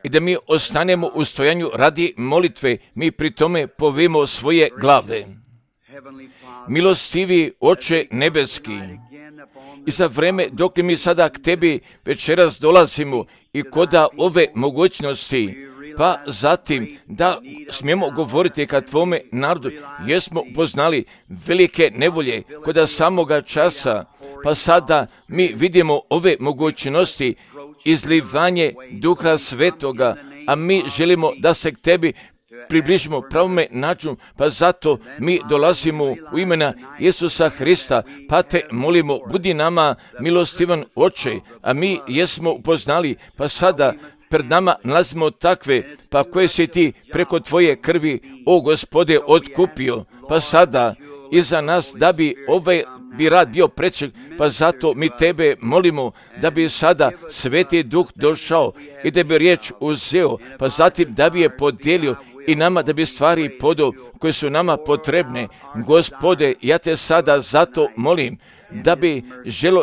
I da mi ostanemo u stojanju radi molitve, mi pri tome povimo svoje glave. Milostivi Oče nebeski, i za vreme dok mi sada k tebi večeras dolazimo i koda ove mogućnosti, pa zatim da smijemo govoriti ka tvome narodu, jesmo upoznali velike nevolje koda samoga časa, pa sada mi vidimo ove mogućnosti, izlivanje Duha Svetoga, a mi želimo da se k tebi približimo pravome načinu, pa zato mi dolazimo u imena Isusa Hrista, pa te molimo, budi nama milostivan Oče, a mi jesmo upoznali, pa sada pred nama nalazimo takve, pa koje si ti preko tvoje krvi, o Gospode, otkupio, pa sada iza nas da bi bi rad bio prećeg, pa zato mi tebe molimo da bi sada Sveti Duh došao i da bi riječ uzeo, pa zatim da bi je podijelio i nama da bi stvari podao koje su nama potrebne. Gospode, ja te sada zato molim da bi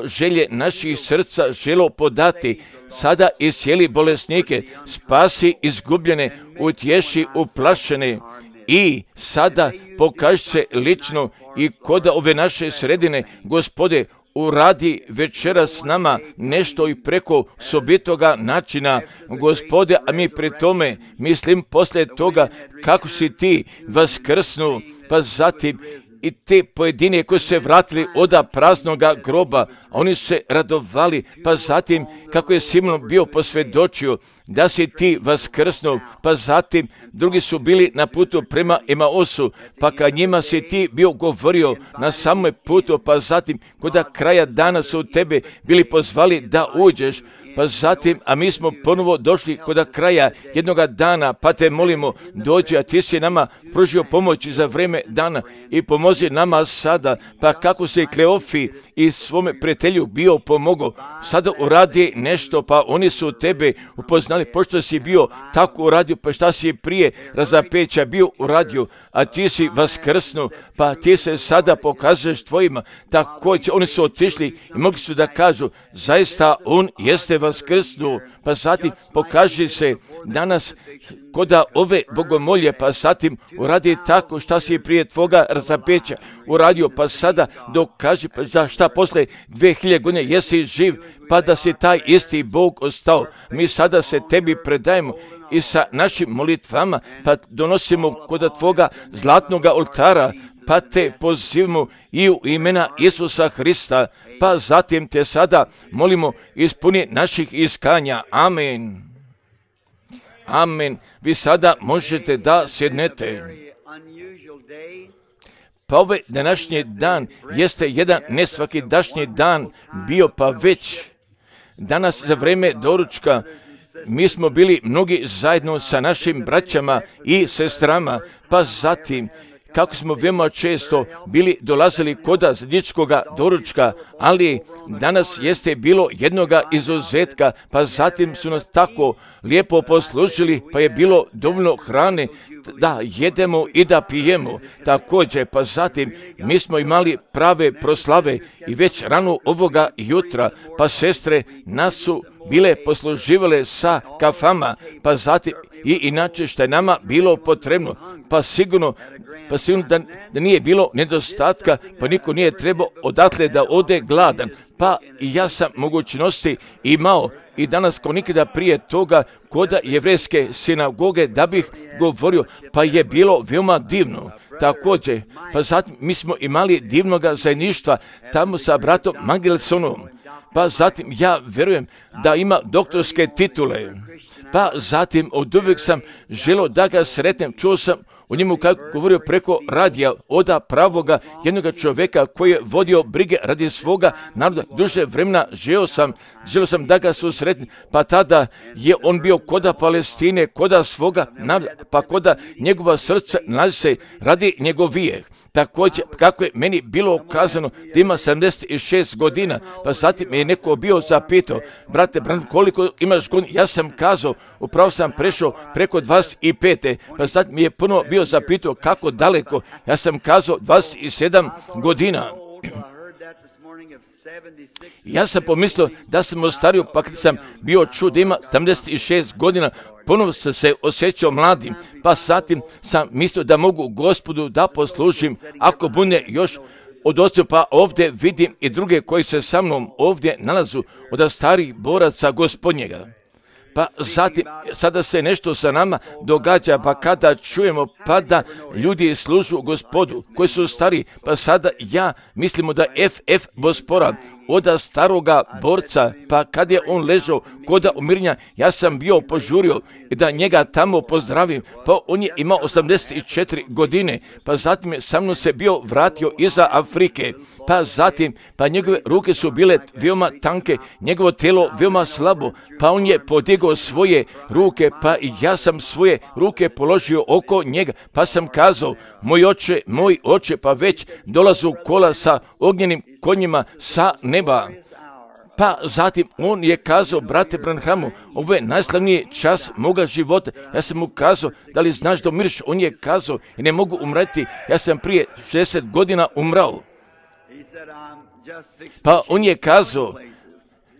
želje naših srca želo podati, sada iscijeli bolesnike, spasi izgubljene, utješi uplašene i sada pokaži se lično i kod ove naše sredine, Gospode, uradi večeras s nama nešto i preko sobitoga načina, Gospode, a mi pri tome mislim poslije toga kako si ti vaskrsnu, pa zatim i te pojedine koji se vratili oda praznoga groba, oni se radovali, pa zatim kako je Simon bio posvjedočio da si ti vaskrsnuo, pa zatim drugi su bili na putu prema Emaosu, pa kad njima si ti bio govorio na samom putu, pa zatim kod kraja dana su tebe bili pozvali da uđeš, pa zatim, a mi smo ponovo došli kod kraja jednoga dana, pa te molimo, dođi, a ti si nama pružio pomoć za vreme dana i pomozi nama sada, pa kako se Kleofi i svome prijatelju bio pomogao, sada uradi nešto, pa oni su tebe upoznali, pošto si bio tako uradio, pa šta si prije razapeća bio uradio, a ti si vaskrsnu, pa ti se sada pokazuješ tvojima, također oni su otišli i mogli su da kažu, zaista on jeste vaskrsnuo, pa zatim pokaži se danas koda ove bogomolje, pa zatim uradi tako šta si prije tvoga razapeća uradio, pa sada dokaži, pa za šta posle 2000 godina jesi živ, pa da si taj isti Bog ostao. Mi sada se tebi predajemo i sa našim molitvama, pa donosimo kod tvoga zlatnoga oltara, pa te pozivamo i u imena Isusa Hrista, pa zatim te sada molimo ispuni naših iskanja. Amen. Amen. Vi sada možete da sjednete. Pa ovaj današnji dan jeste jedan nesvakidašnji dan bio, pa već danas za vreme doručka mi smo bili mnogi zajedno sa našim braćama i sestrama, pa zatim kako smo veoma često dolazili koda zajedničkoga doručka, ali danas jeste bilo jednoga izuzetka, pa zatim su nas tako lijepo poslužili, pa je bilo dovoljno hrane da jedemo i da pijemo. Također, pa zatim mi smo imali prave proslave i već rano ovoga jutra, pa sestre nas su bile posluživale sa kafama, pa zatim i inače što je nama bilo potrebno, pa sigurno da nije bilo nedostatka, pa niko nije trebao odatle da ode gladan, pa i ja sam mogućnosti imao i danas kao nikada prije toga kod jevrejske sinagoge da bih govorio, pa je bilo veoma divno. Također, pa zatim mi smo imali divnoga zajedništva tamo sa bratom Mangelsonom, pa zatim ja vjerujem da ima doktorske titule, pa zatim od uvijek sam želio da ga sretnem, čuo sam o njemu kako govorio preko radija oda pravoga jednoga čovjeka koji je vodio brige radi svoga naroda. Duže vremena želio sam da ga susretnem, pa tada je on bio koda Palestine, koda svoga naroda, pa koda njegova srca nalazi se radi njegovijeh. Također, kako je meni bilo kazano da ima 76 godina, pa zatim me je neko bio zapitao, brate Bran, koliko imaš godina? Ja sam kazao, upravo sam prešao preko 25. Pa zatim mi je puno bio zapitao kako daleko, ja sam kazao 27 godina. Ja sam pomislio da sam ostario, pa kad sam bio čuo da ima 76 godina, ponovno sam se osjećao mladim, pa zatim sam mislio da mogu Gospodu da poslužim, ako bude još odostio, pa ovdje vidim i druge koji se sa mnom ovdje nalazu od starih boraca Gospodnjega. Pa zatim, sada se nešto sa nama događa, pa kada čujemo pa da ljudi služu Gospodu koji su stari, pa sada ja mislimo da FF Bospora od staroga borca, pa kad je on ležao koda umirenja, ja sam bio požurio da njega tamo pozdravim, pa on je imao 84 godine, pa zatim je sa mnom se bio vratio iza Afrike, pa zatim, pa njegove ruke su bile veoma tanke, njegovo telo veoma slabo, pa on je podigao svoje ruke, pa i ja sam svoje ruke položio oko njega, pa sam kazao, moj oče, pa već dolazu kola sa ognjenim konjima sa neba. Pa zatim on je kazao, brate Branhamu, ovo je najslavniji čas moga života. Ja sam mu kazao, da li znaš da umiriš? On je kazao, ne mogu umreti, ja sam prije 60 godina umrao. Pa on je kazao,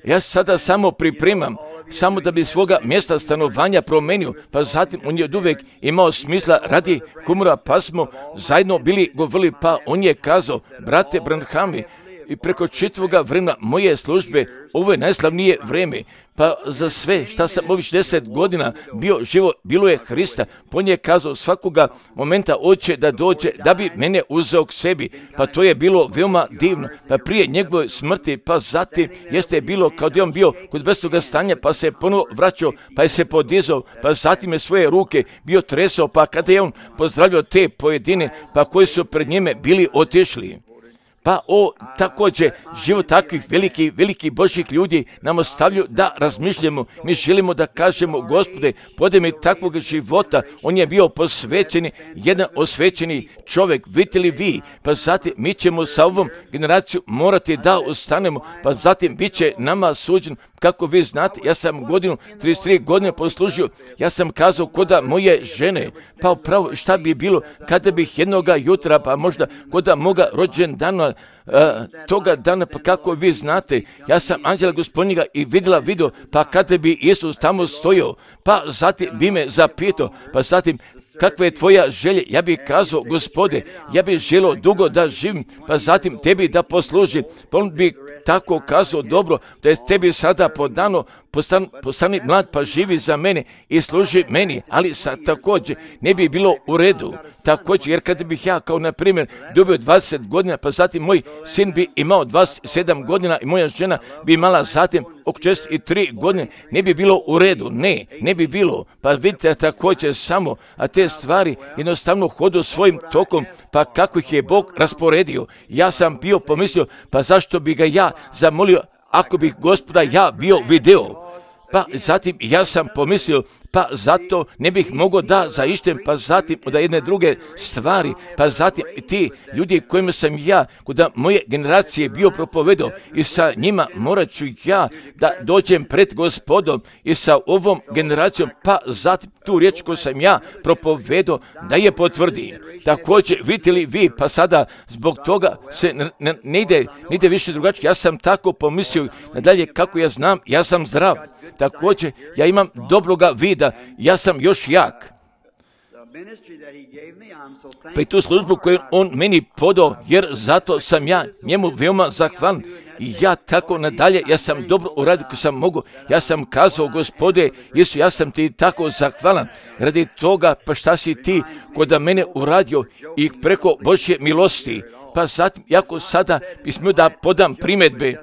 ja sada samo pripremam, samo da bi svoga mjesta stanovanja promenio, pa zatim on je od uvijek imao smisla radi humora, pa smo zajedno bili govorili, pa on je kazao, brate Branhami, i preko čitavoga vremena moje službe, ovo je najslavnije vreme, pa za sve šta sam ovih 60 godina bio živo, bilo je Hrista, on je kazao svakoga momenta hoće da dođe, da bi mene uzeo k sebi, pa to je bilo veoma divno, pa prije njegove smrti, pa zatim jeste bilo kao da je on bio kod bestoga stanja, pa se ponovo vraćao, pa je se podizao, pa zatim je svoje ruke bio tresao, pa kada je on pozdravljao te pojedine, pa koji su pred njime bili otišli. Pa također život takvih velikih Božjih ljudi nam ostavljaju da razmišljamo. Mi želimo da kažemo, Gospode, podaj mi takvog života. On je bio posvećeni, jedan osvećeni čovjek, vidite li vi? Pa zatim mi ćemo sa ovom generacijom morati da ostanemo, pa zatim bit će nama suđen. Kako vi znate, ja sam 33 godine poslužio, ja sam kazao koda moje žene, pa upravo šta bi bilo kada bih jednoga jutra, pa možda koda moga rođendana, toga dana, pa kako vi znate, ja sam anđela Gospodnjega i vidjela video, pa kada bi Isus tamo stojao, pa zatim bi me zapitao, pa zatim kakva je tvoja želja? Ja bih kazao, Gospode, ja bih želio dugo da živim, pa zatim tebi da poslužim. Pa on bi tako kazao, dobro, da je tebi sada podano, postani mlad pa živi za mene i služi meni, ali također ne bi bilo u redu. Također, jer kada bih ja kao na primjer dobio 20 godina, pa zatim moj sin bi imao 27 godina i moja žena bi imala zatim oko 63 godine, ne bi bilo u redu, ne bi bilo. Pa vidite također samo, a te stvari jednostavno hodu svojim tokom, pa kako ih je Bog rasporedio. Ja sam bio pomislio, pa zašto bi ga ja zamolio ako bih Gospoda ja bio video. Pa zatim ja sam pomislio, pa zato ne bih mogao da zaištem, pa zatim da jedne druge stvari, pa zatim ti ljudi kojima sam ja, kod moje generacije bio propovedao i sa njima morat ću ja da dođem pred Gospodom i sa ovom generacijom, pa zatim tu riječ koju sam ja propovedao da je potvrdi. Također, vidite li vi, pa sada zbog toga se ne ide više drugačije. Ja sam tako pomislio, nadalje kako ja znam, ja sam zdrav. Također, ja imam dobroga vida, ja sam još jak. Pa i tu službu koju on meni podao, jer zato sam ja njemu veoma zahvalan. I ja tako nadalje, ja sam dobro uradio koji sam mogu. Ja sam kazao, Gospode, Isu, ja sam ti tako zahvalan. Radi toga, pa šta si ti kod mene uradio i preko Božje milosti. Pa zatim, jako sada bi smio da podam primjedbe.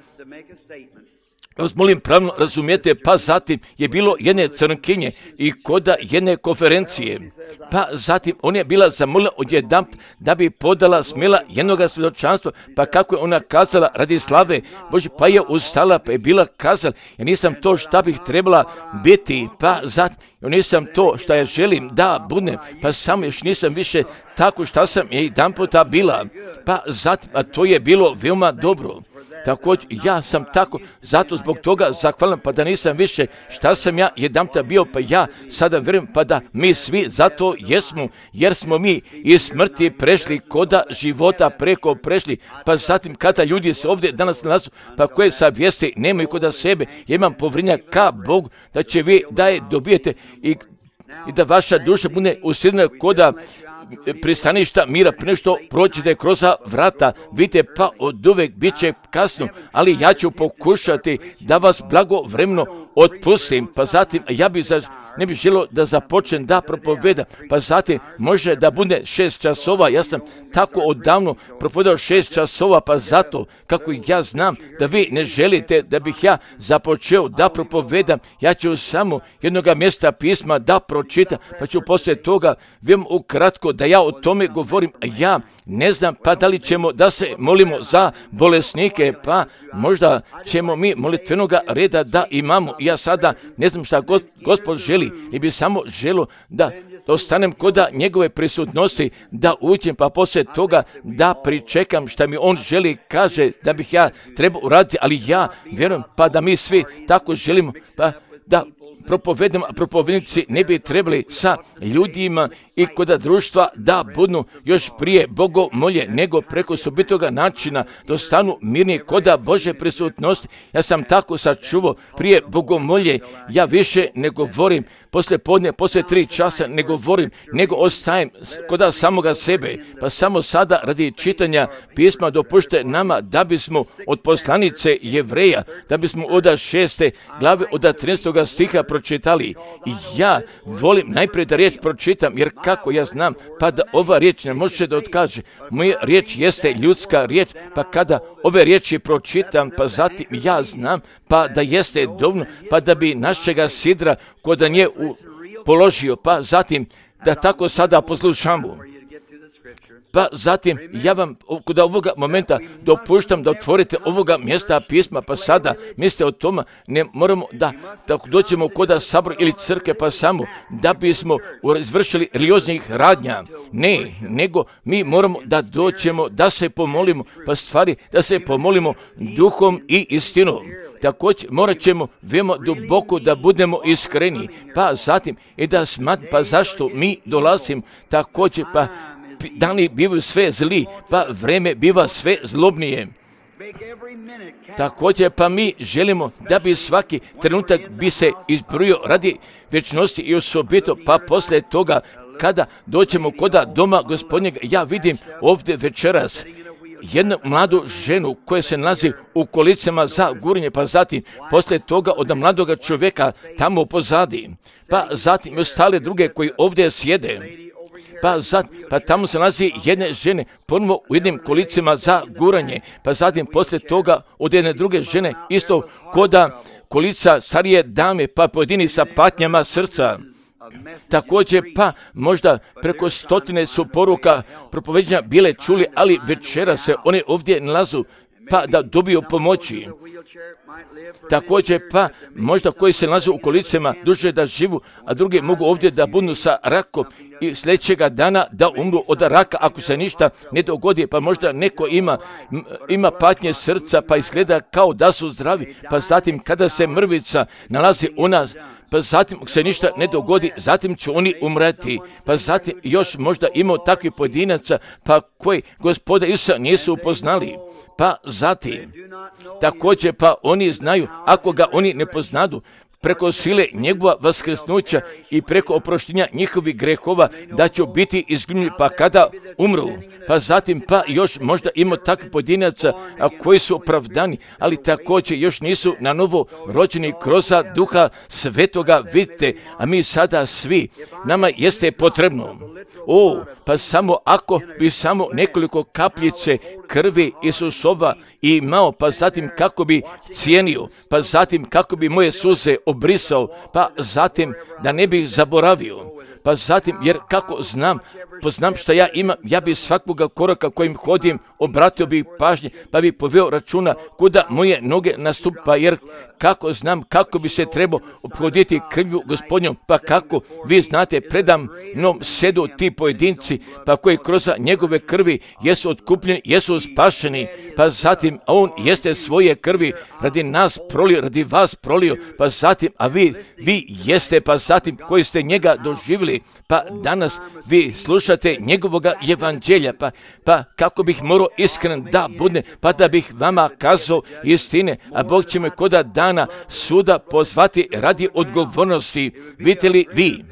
Vas molim pravno razumijete, pa zatim je bilo jedne crnkinje i koda jedne konferencije. Pa zatim ona je bila zamolila odjedanput da bi podala smjela jednoga svjedočanstva, pa kako je ona kazala radi slave Bože, pa je ustala, pa je bila kazala, ja nisam to šta bih trebala biti, pa zatim ja nisam to šta ja želim da budem, pa samo još nisam više tako šta sam jedanputa bila, pa zatim, a to je bilo veoma dobro. Također, ja sam tako, zato zbog toga zahvalan, pa da nisam više šta sam ja jedanputa bio, pa ja sada vjerujem, pa da mi svi zato jesmo, jer smo mi iz smrti prešli, koda života preko prešli, pa zatim kada ljudi se ovdje danas nalazu, pa koje savjesti nemaju koda sebe, ja imam povjerenja ka Bogu, da će vi da je dobijete i da vaša duša bude usidna koda pristaništa mira, prije što prođete kroz vrata, vidite, pa od uvek bit će kasno, ali ja ću pokušati da vas blagovremeno otpustim, pa zatim ja ne bih želio da započnem da propovedam, pa zatim može da bude 6 časova, ja sam tako odavno propovedao 6 časova, pa zato kako ja znam da vi ne želite da bih ja započeo da propovedam, ja ću samo jednoga mjesta pisma da pročitam, pa ću poslije toga vem ukratko da ja o tome govorim, ja ne znam pa da li ćemo da se molimo za bolesnike, pa možda ćemo mi molitvenoga reda da imamo, ja sada ne znam šta Gospod želi, i bi samo želio da ostanem koda njegove prisutnosti, da uđem, pa poslije toga da pričekam šta mi on želi, kaže da bih ja trebao uraditi, ali ja vjerujem pa da mi svi tako želimo, pa da propovedamo, a propovednici ne bi trebali sa ljudima i koda društva da budu još prije bogomolje, nego preko osobitoga načina da stanu mirni koda Bože prisutnosti. Ja sam tako sačuvao prije bogomolje, ja više ne govorim poslije podne, poslije 3 časa ne govorim, nego ostajem koda samoga sebe, pa samo sada radi čitanja pisma dopušte nama da bismo od poslanice Jevreja, da bismo od 6. glave od 13. stiha pročitali. I ja volim najprije da riječ pročitam, jer kako ja znam, pa da ova riječ ne može da otkaže. Moja riječ jeste ljudska riječ, pa kada ove riječi pročitam, pa zatim ja znam, pa da jeste dovoljno, pa da bi našega sidra koda nje položio, pa zatim da tako sada poslušamo. Pa zatim ja vam kod ovoga momenta dopuštam da otvorite ovoga mjesta pisma, pa sada mislite o tome, ne moramo da dođemo kod sabora ili crkve, pa samo da bismo izvršili religioznih radnja. Ne, nego mi moramo da dođemo, da se pomolimo, pa stvari da se pomolimo duhom i istinom. Također morat ćemo veoma duboko da budemo iskreni, pa zatim i da smatram, pa zašto mi dolazimo također, pa dani bivaju sve zli, pa vreme biva sve zlobnije. Također pa mi želimo da bi svaki trenutak bi se izbrojio radi vječnosti i osobito, pa poslije toga kada dođemo koda doma Gospodnjega, ja vidim ovdje večeras jednu mladu ženu koja se nalazi u kolicama za gurnje, pa zatim poslije toga od mladoga čovjeka tamo pozadi, pa zatim ostale druge koji ovdje sjede. Pa tamo se nalazi jedne žene ponovo u jednim kolicima za guranje, pa zatim poslije toga od jedne druge žene isto koda kolica starije dame, pa pojedini sa patnjama srca. Također pa možda preko 100 su poruka propoveđenja bile čuli, ali večera se one ovdje nalazu pa da dobiju pomoći. Također pa možda koji se nalaze u kolicama duže da živu, a drugi mogu ovdje da budu sa rakom i sljedećega dana da umru od raka ako se ništa ne dogodi, pa možda neko ima patnje srca pa izgleda kao da su zdravi, pa zatim kada se mrvica nalazi u nas, pa zatim se ništa ne dogodi, zatim će oni umreti, pa zatim još možda imao takvih pojedinaca pa koji Gospoda Isusa nisu upoznali, pa zatim također pa oni znaju, ako ga oni ne poznadu, preko sile njegova vaskrsnuća i preko oproštenja njihovih grehova da će biti izgubljeni pa kada umru. Pa zatim pa još možda ima takvih pojedinaca koji su opravdani, ali također još nisu na novo rođeni kroz Duha Svetoga, vidite, a mi sada svi, nama jeste potrebno. Pa samo ako bi samo nekoliko kapljice krvi Isusova imao, pa zatim kako bi cijenio, pa zatim kako bi moje suze obrisao, pa zatim da ne bih zaboravio, pa zatim, jer kako znam, poznam šta ja imam, ja bi svakoga koraka kojim hodim obratio bih pažnje, pa bi poveo računa kuda moje noge nastupa, jer kako znam kako bi se trebao ophoditi krvju Gospodnjom, pa kako vi znate predam mnom sedu ti pojedinci, pa koji kroz njegove krvi jesu otkupljeni, jesu spašeni, pa zatim on jeste svoje krvi radi nas prolio, radi vas prolio, pa zatim, a vi jeste, pa zatim koji ste njega doživjeli, pa danas vi slušate njegovoga evanđelja, pa kako bih morao iskren da budne, pa da bih vama kazao istine, a Bog će me koda dana suda pozvati radi odgovornosti. Vidite li vi?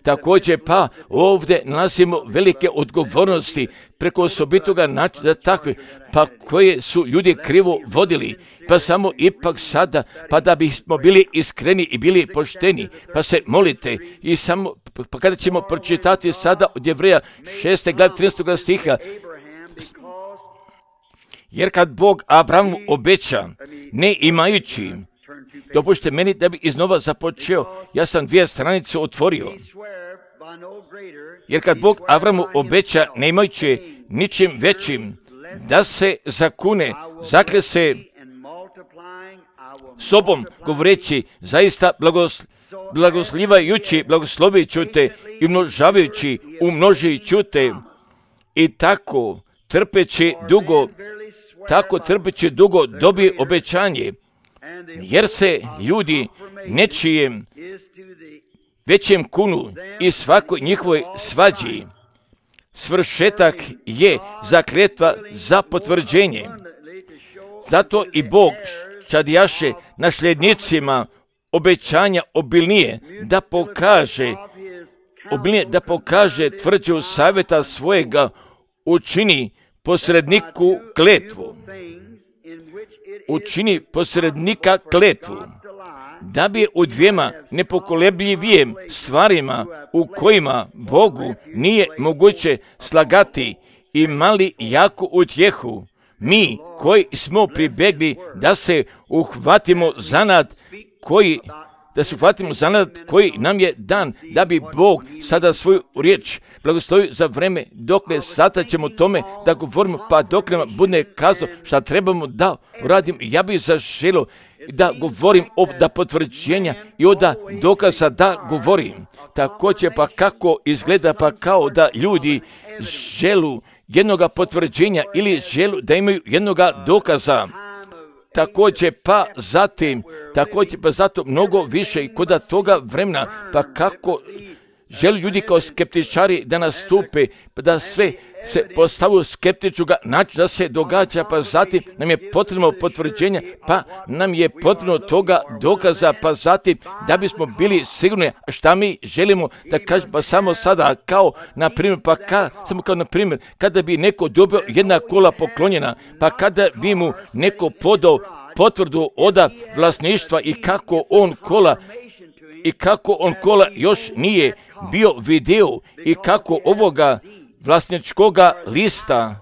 Također pa ovdje nalazimo velike odgovornosti preko osobitoga načina takve, pa koje su ljudi krivo vodili, pa samo ipak sada, pa da bismo bili iskreni i bili pošteni, pa se molite i samo, pa kada ćemo pročitati sada od Jevreja 6. glave 13. stiha, jer kad Bog Abrahamu obeća, ne imajući, dopušte meni da bi iznova započeo, ja sam 2 stranice otvorio. Jer kad Bog Avramu obeća, ne imajući ničim većim, da se zakune, zakle se sobom, govoreći, zaista blagoslovit ću te i umnožit ću te, i tako trpeći dugo dobije obećanje, jer se ljudi nečijem većem kunu i svakoj njihovoj svađi. Svršetak je zakletva za potvrđenje. Zato i Bog čadijaše nasljednicima obećanja obilnije da pokaže tvrđu savjeta svojega, učini posredniku kletvu. Učini posrednika kletvu, da bi u 2 nepokolebljivijim stvarima u kojima Bogu nije moguće slagati imali jaku utjehu, mi koji smo pribjegli da se uhvatimo zanat koji nam je dan, da bi Bog sada svoju riječ blagoslovio za vreme dokle sada ćemo tome da govorimo, pa dokle nam bude kazao šta trebamo da uradim. Ja bih zaželio da govorim da potvrđenja i da dokaza da govorim. Također pa kako izgleda, pa kao da ljudi želu jednoga potvrđenja ili želu da imaju jednoga dokaza. Također pa zato mnogo više i kod toga vremena, pa kako žele ljudi kao skeptičari da nastupe, pa da sve se postavu skeptičnoga načina da se događa, pa zatim nam je potrebno potvrđenja, pa nam je potrebno toga dokaza, pa zatim da bismo bili sigurni šta mi želimo da kažemo, pa samo sada kao na primjer, kada bi neko dobio 1 kola poklonjena, pa kada bi mu neko podao potvrdu oda vlasništva i kako on kola još nije bio video i kako ovoga vlasničkoga lista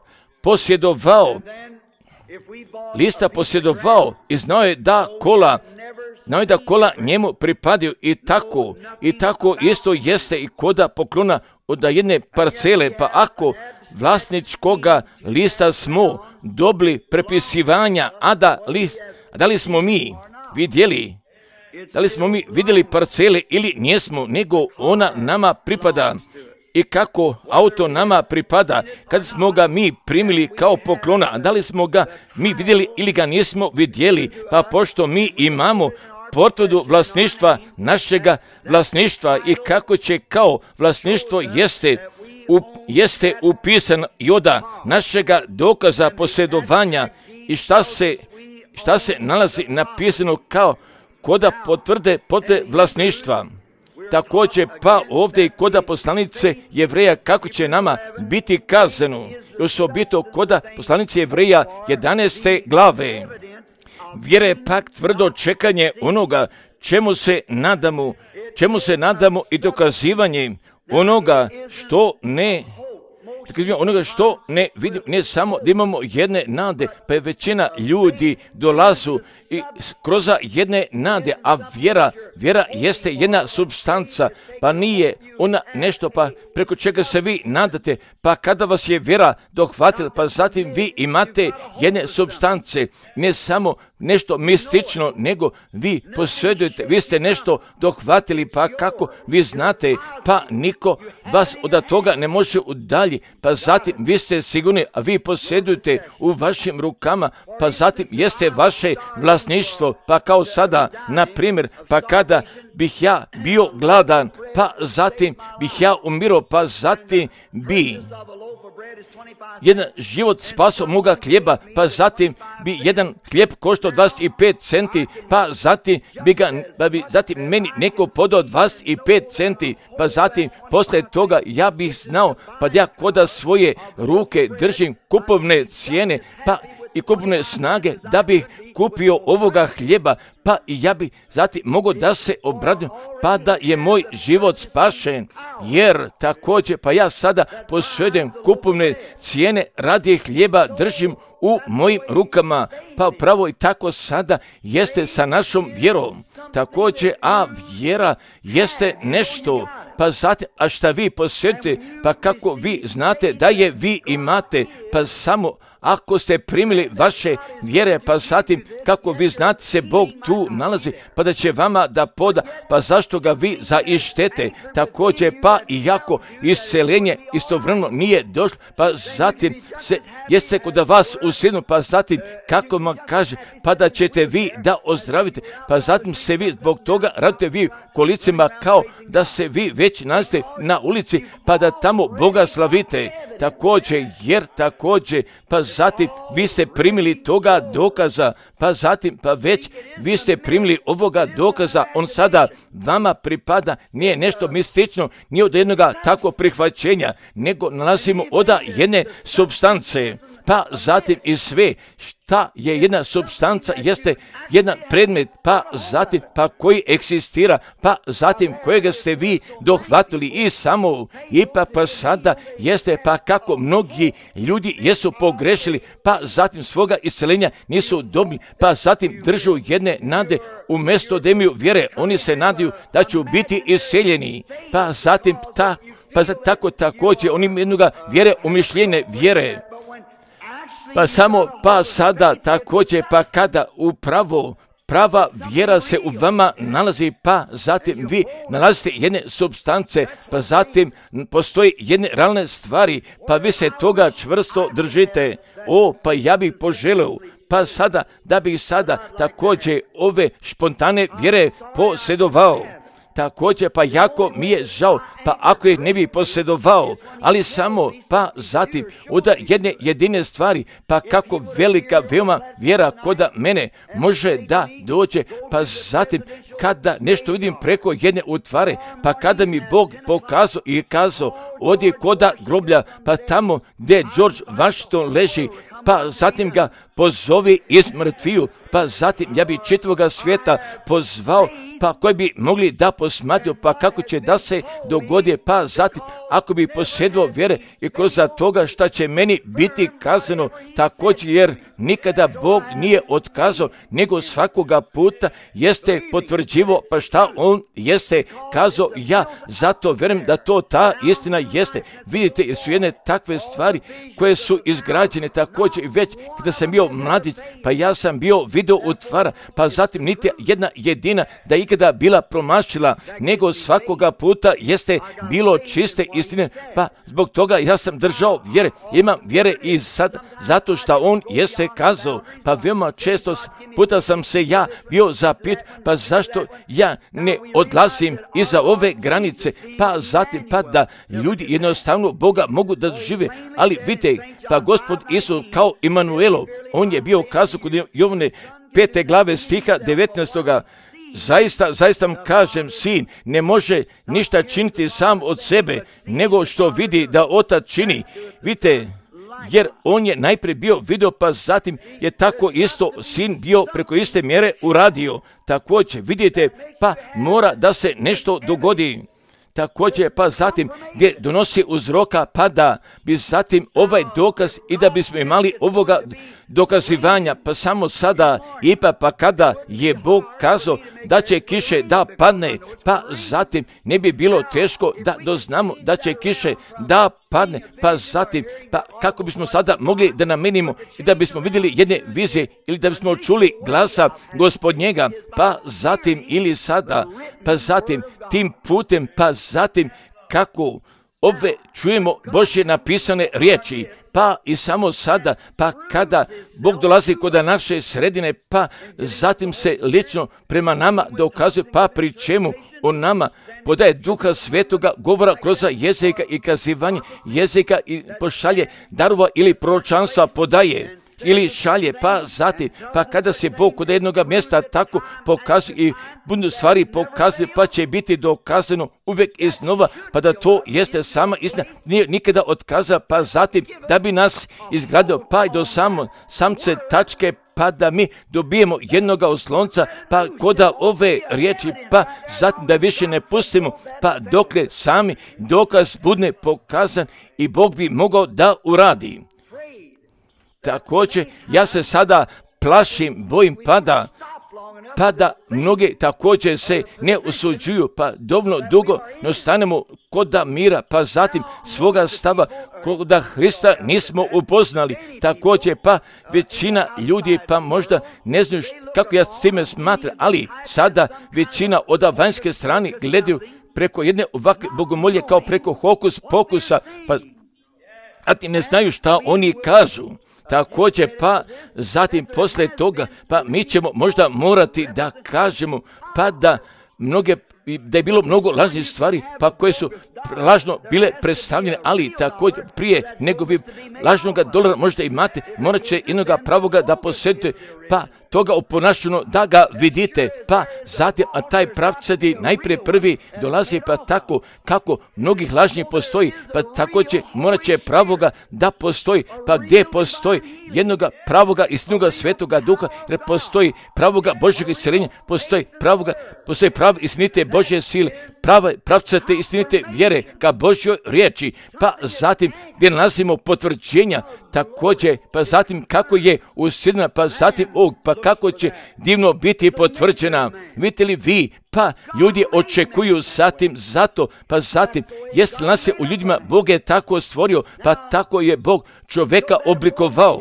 posjedovao i znao je da kola njemu pripadaju i tako isto jeste i koda poklona od jedne parcele, pa ako vlasničkoga lista smo dobili prepisivanja, da li smo mi vidjeli parcele ili nismo, nego ona nama pripada i kako auto nama pripada, kad smo ga mi primili kao poklona, da li smo ga mi vidjeli ili ga nismo vidjeli, pa pošto mi imamo potvrdu vlasništva našega vlasništva i kako će kao vlasništvo jeste upisan i oda našega dokaza posjedovanja i šta se nalazi napisano kao koda potvrde vlasništva. Također pa ovdje i koda poslanice Jevreja kako će nama biti kazano, osobito koda poslanice Jevreja 11. glave. Vjera je pak tvrdo čekanje onoga čemu se nadamo i dokazivanje onoga što ne vidimo, ne samo da imamo jedne nade, pa je većina ljudi dolazu i kroz jedne nade, a vjera jeste jedna supstanca, pa nije ona nešto pa preko čega se vi nadate, pa kada vas je vjera dohvatila, pa zatim vi imate jedne supstance, ne samo nešto mistično, nego vi posjedujete, vi ste nešto dohvatili, pa kako vi znate, pa niko vas od toga ne može udalji, pa zatim vi ste sigurni, a vi posjedujete u vašim rukama, pa zatim jeste vaše vlasništvo, pa kao sada, na primjer, pa kada bih ja bio gladan, pa zatim bih ja umirao, pa zatim bi jedan život spasao moga hljeba, pa zatim bi jedan hljeb koštao 25 centi, pa zatim bi zatim meni neko podao 25 centi, pa zatim posle toga ja bih znao, pa ja koda svoje ruke držim kupovne cijene, pa i kupovne snage da bih kupio ovoga hljeba, pa i ja bi zatim mogao da se obradim, pa da je moj život spašen, jer također pa ja sada posjedujem kupovne cijene radi hljeba, držim u mojim rukama, pa pravo i tako sada jeste sa našom vjerom. Također, a vjera jeste nešto, pa zatim, a šta vi posjedujete, pa kako vi znate da je vi imate, pa samo ako ste primili vaše vjere, pa zatim kako vi znate se Bog tu nalazi, pa da će vama da poda, pa zašto ga vi zaištete, također pa iako isceljenje istovremeno nije došlo, pa zatim jeste kod vas usidnu, pa zatim kako vam kaže, pa da ćete vi da ozdravite, pa zatim se vi zbog toga radite vi kolicima kao da se vi već nalazite na ulici, pa da tamo Boga slavite, također, jer također, pa zatim vi ste primili toga dokaza, pa zatim, pa već vi ste primili ovoga dokaza, on sada vama pripada, nije nešto mistično, nije od jednoga tako prihvaćenja, nego nalazimo od jedne supstance, pa zatim i sve šta je jedna supstanca, jeste jedan predmet, pa zatim, pa koji eksistira, pa zatim kojega ste vi dohvatili i samo, ipak pa sada jeste, pa kako mnogi ljudi jesu pogrešili, pa zatim svoga isceljenja nisu dobili, pa zatim držu jedne nade, umjesto da imaju vjere, oni se nadaju da će biti isceljeni, pa zatim tako također oni imaju jednoga vjere, umišljene vjere. Pa samo, pa sada također, pa kada upravo prava vjera se u vama nalazi, pa zatim vi nalazite jedne supstance, pa zatim postoji jedne realne stvari, pa vi se toga čvrsto držite. Pa ja bih poželeo, pa sada, da bih sada također ove spontane vjere posjedovao. Također, pa jako mi je žao, pa ako ih ne bi posjedovao, ali samo, pa zatim, od jedne jedine stvari, pa kako velika, veoma vjera koda mene može da dođe, pa zatim, kada nešto vidim preko jedne utvare, pa kada mi Bog pokazao i kazao, ovdje koda groblja, pa tamo gdje George Washington leži, pa zatim ga pozovi iz mrtviju, pa zatim ja bi čitavoga svijeta pozvao, pa koji bi mogli da posmatraju, pa kako će da se dogodi, pa zatim ako bi posjedovao vjere i kroz toga šta će meni biti kazano, također jer nikada Bog nije otkazao, nego svakoga puta jeste potvrđivo, pa šta on jeste kazao, ja zato vjerujem da to ta istina jeste. Vidite, jer su jedne takve stvari koje su izgrađene također i već kada sam bio mladić, pa ja sam bio video utvara, pa zatim niti jedna jedina da ikada bila promašila, nego svakoga puta jeste bilo čiste istine, pa zbog toga ja sam držao vjere, imam vjere i sad, zato što on jeste kazao, pa veoma često puta sam se ja bio zapit, pa zašto ja ne odlazim iza ove granice, pa zatim pa da ljudi jednostavno Boga mogu da žive, ali vidite, pa Gospod Isus kao Imanuelo, on je bio kazao kod Jovane 5. glave stiha 19. Zaista vam kažem, sin ne može ništa činiti sam od sebe, nego što vidi da otac čini. Vidite, jer on je najprije bio video, pa zatim je tako isto sin bio preko iste mjere uradio. Također, vidite, pa mora da se nešto dogodi. također, pa zatim gdje donosi uzroka, pa da bi zatim ovaj dokaz i da bismo imali ovoga dokazivanja, pa samo sada, ipak pa kada je Bog kazao da će kiše da padne, pa zatim ne bi bilo teško da doznamo da će kiše da padne, pa zatim, pa kako bismo sada mogli da namenimo i da bismo vidjeli jedne vizije ili da bismo čuli glasa Gospodnjega, pa zatim ili sada, pa zatim tim putem, pa zatim kako ove čujemo Božje napisane riječi, pa i samo sada, pa kada Bog dolazi kod naše sredine, pa zatim se lično prema nama dokazuje, pa pri čemu on nama podaje Duha Svetoga, govora kroz jezika i kazivanje jezika i pošalje darova ili proročanstva podaje ili šalje, pa zatim, pa kada se Bog kod jednog mjesta tako pokazuje i budu stvari pokazane, pa će biti dokazano uvijek iznova, pa da to jeste sama istina, nije nikada otkaza, pa zatim da bi nas izgradio, pa i do samce tačke, pa da mi dobijemo jednoga oslonca, pa koda ove riječi, pa zatim da više ne pustimo, pa dokle sami dokaz bude pokazan i Bog bi mogao da uradi. Također, ja se sada plašim, bojim pa da mnogi također se ne usuđuju, pa dovoljno dugo ne ostanemo koda mira, pa zatim svoga stava koda Hrista nismo upoznali. Također, pa većina ljudi pa možda ne znaju kako ja s time smatram, ali sada većina od vanjske strane gledaju preko jedne ovakve bogomolje kao preko hokus pokusa, pa zatim ne znaju šta oni kažu. Također, pa zatim poslije toga, pa mi ćemo možda morati da kažemo, pa da je bilo mnogo lažnih stvari, pa koje su lažno bile predstavljene, ali također prije nego vi lažnoga dolara možda imate, morat će jednoga pravoga da posjedite, pa toga oponašeno da ga vidite, pa zatim, a taj pravcati najprije prvi dolazi, pa tako kako mnogih lažnjih postoji, pa također morat će pravoga da postoji, pa gdje postoji jednoga pravoga istinoga Svetoga Duha, jer postoji pravoga Božjeg isceljenja, postoji pravo istinite Božje sile, pravcate istinite vjere ka Božjoj riječi, pa zatim gdje nalazimo potvrđenja, također, pa zatim kako je usidna, pa zatim pa kako će divno biti potvrđena. Vidite li vi, pa ljudi očekuju zatim zato, pa zatim jest li nas se u ljudima Bog je tako stvorio, pa tako je Bog čovjeka oblikovao.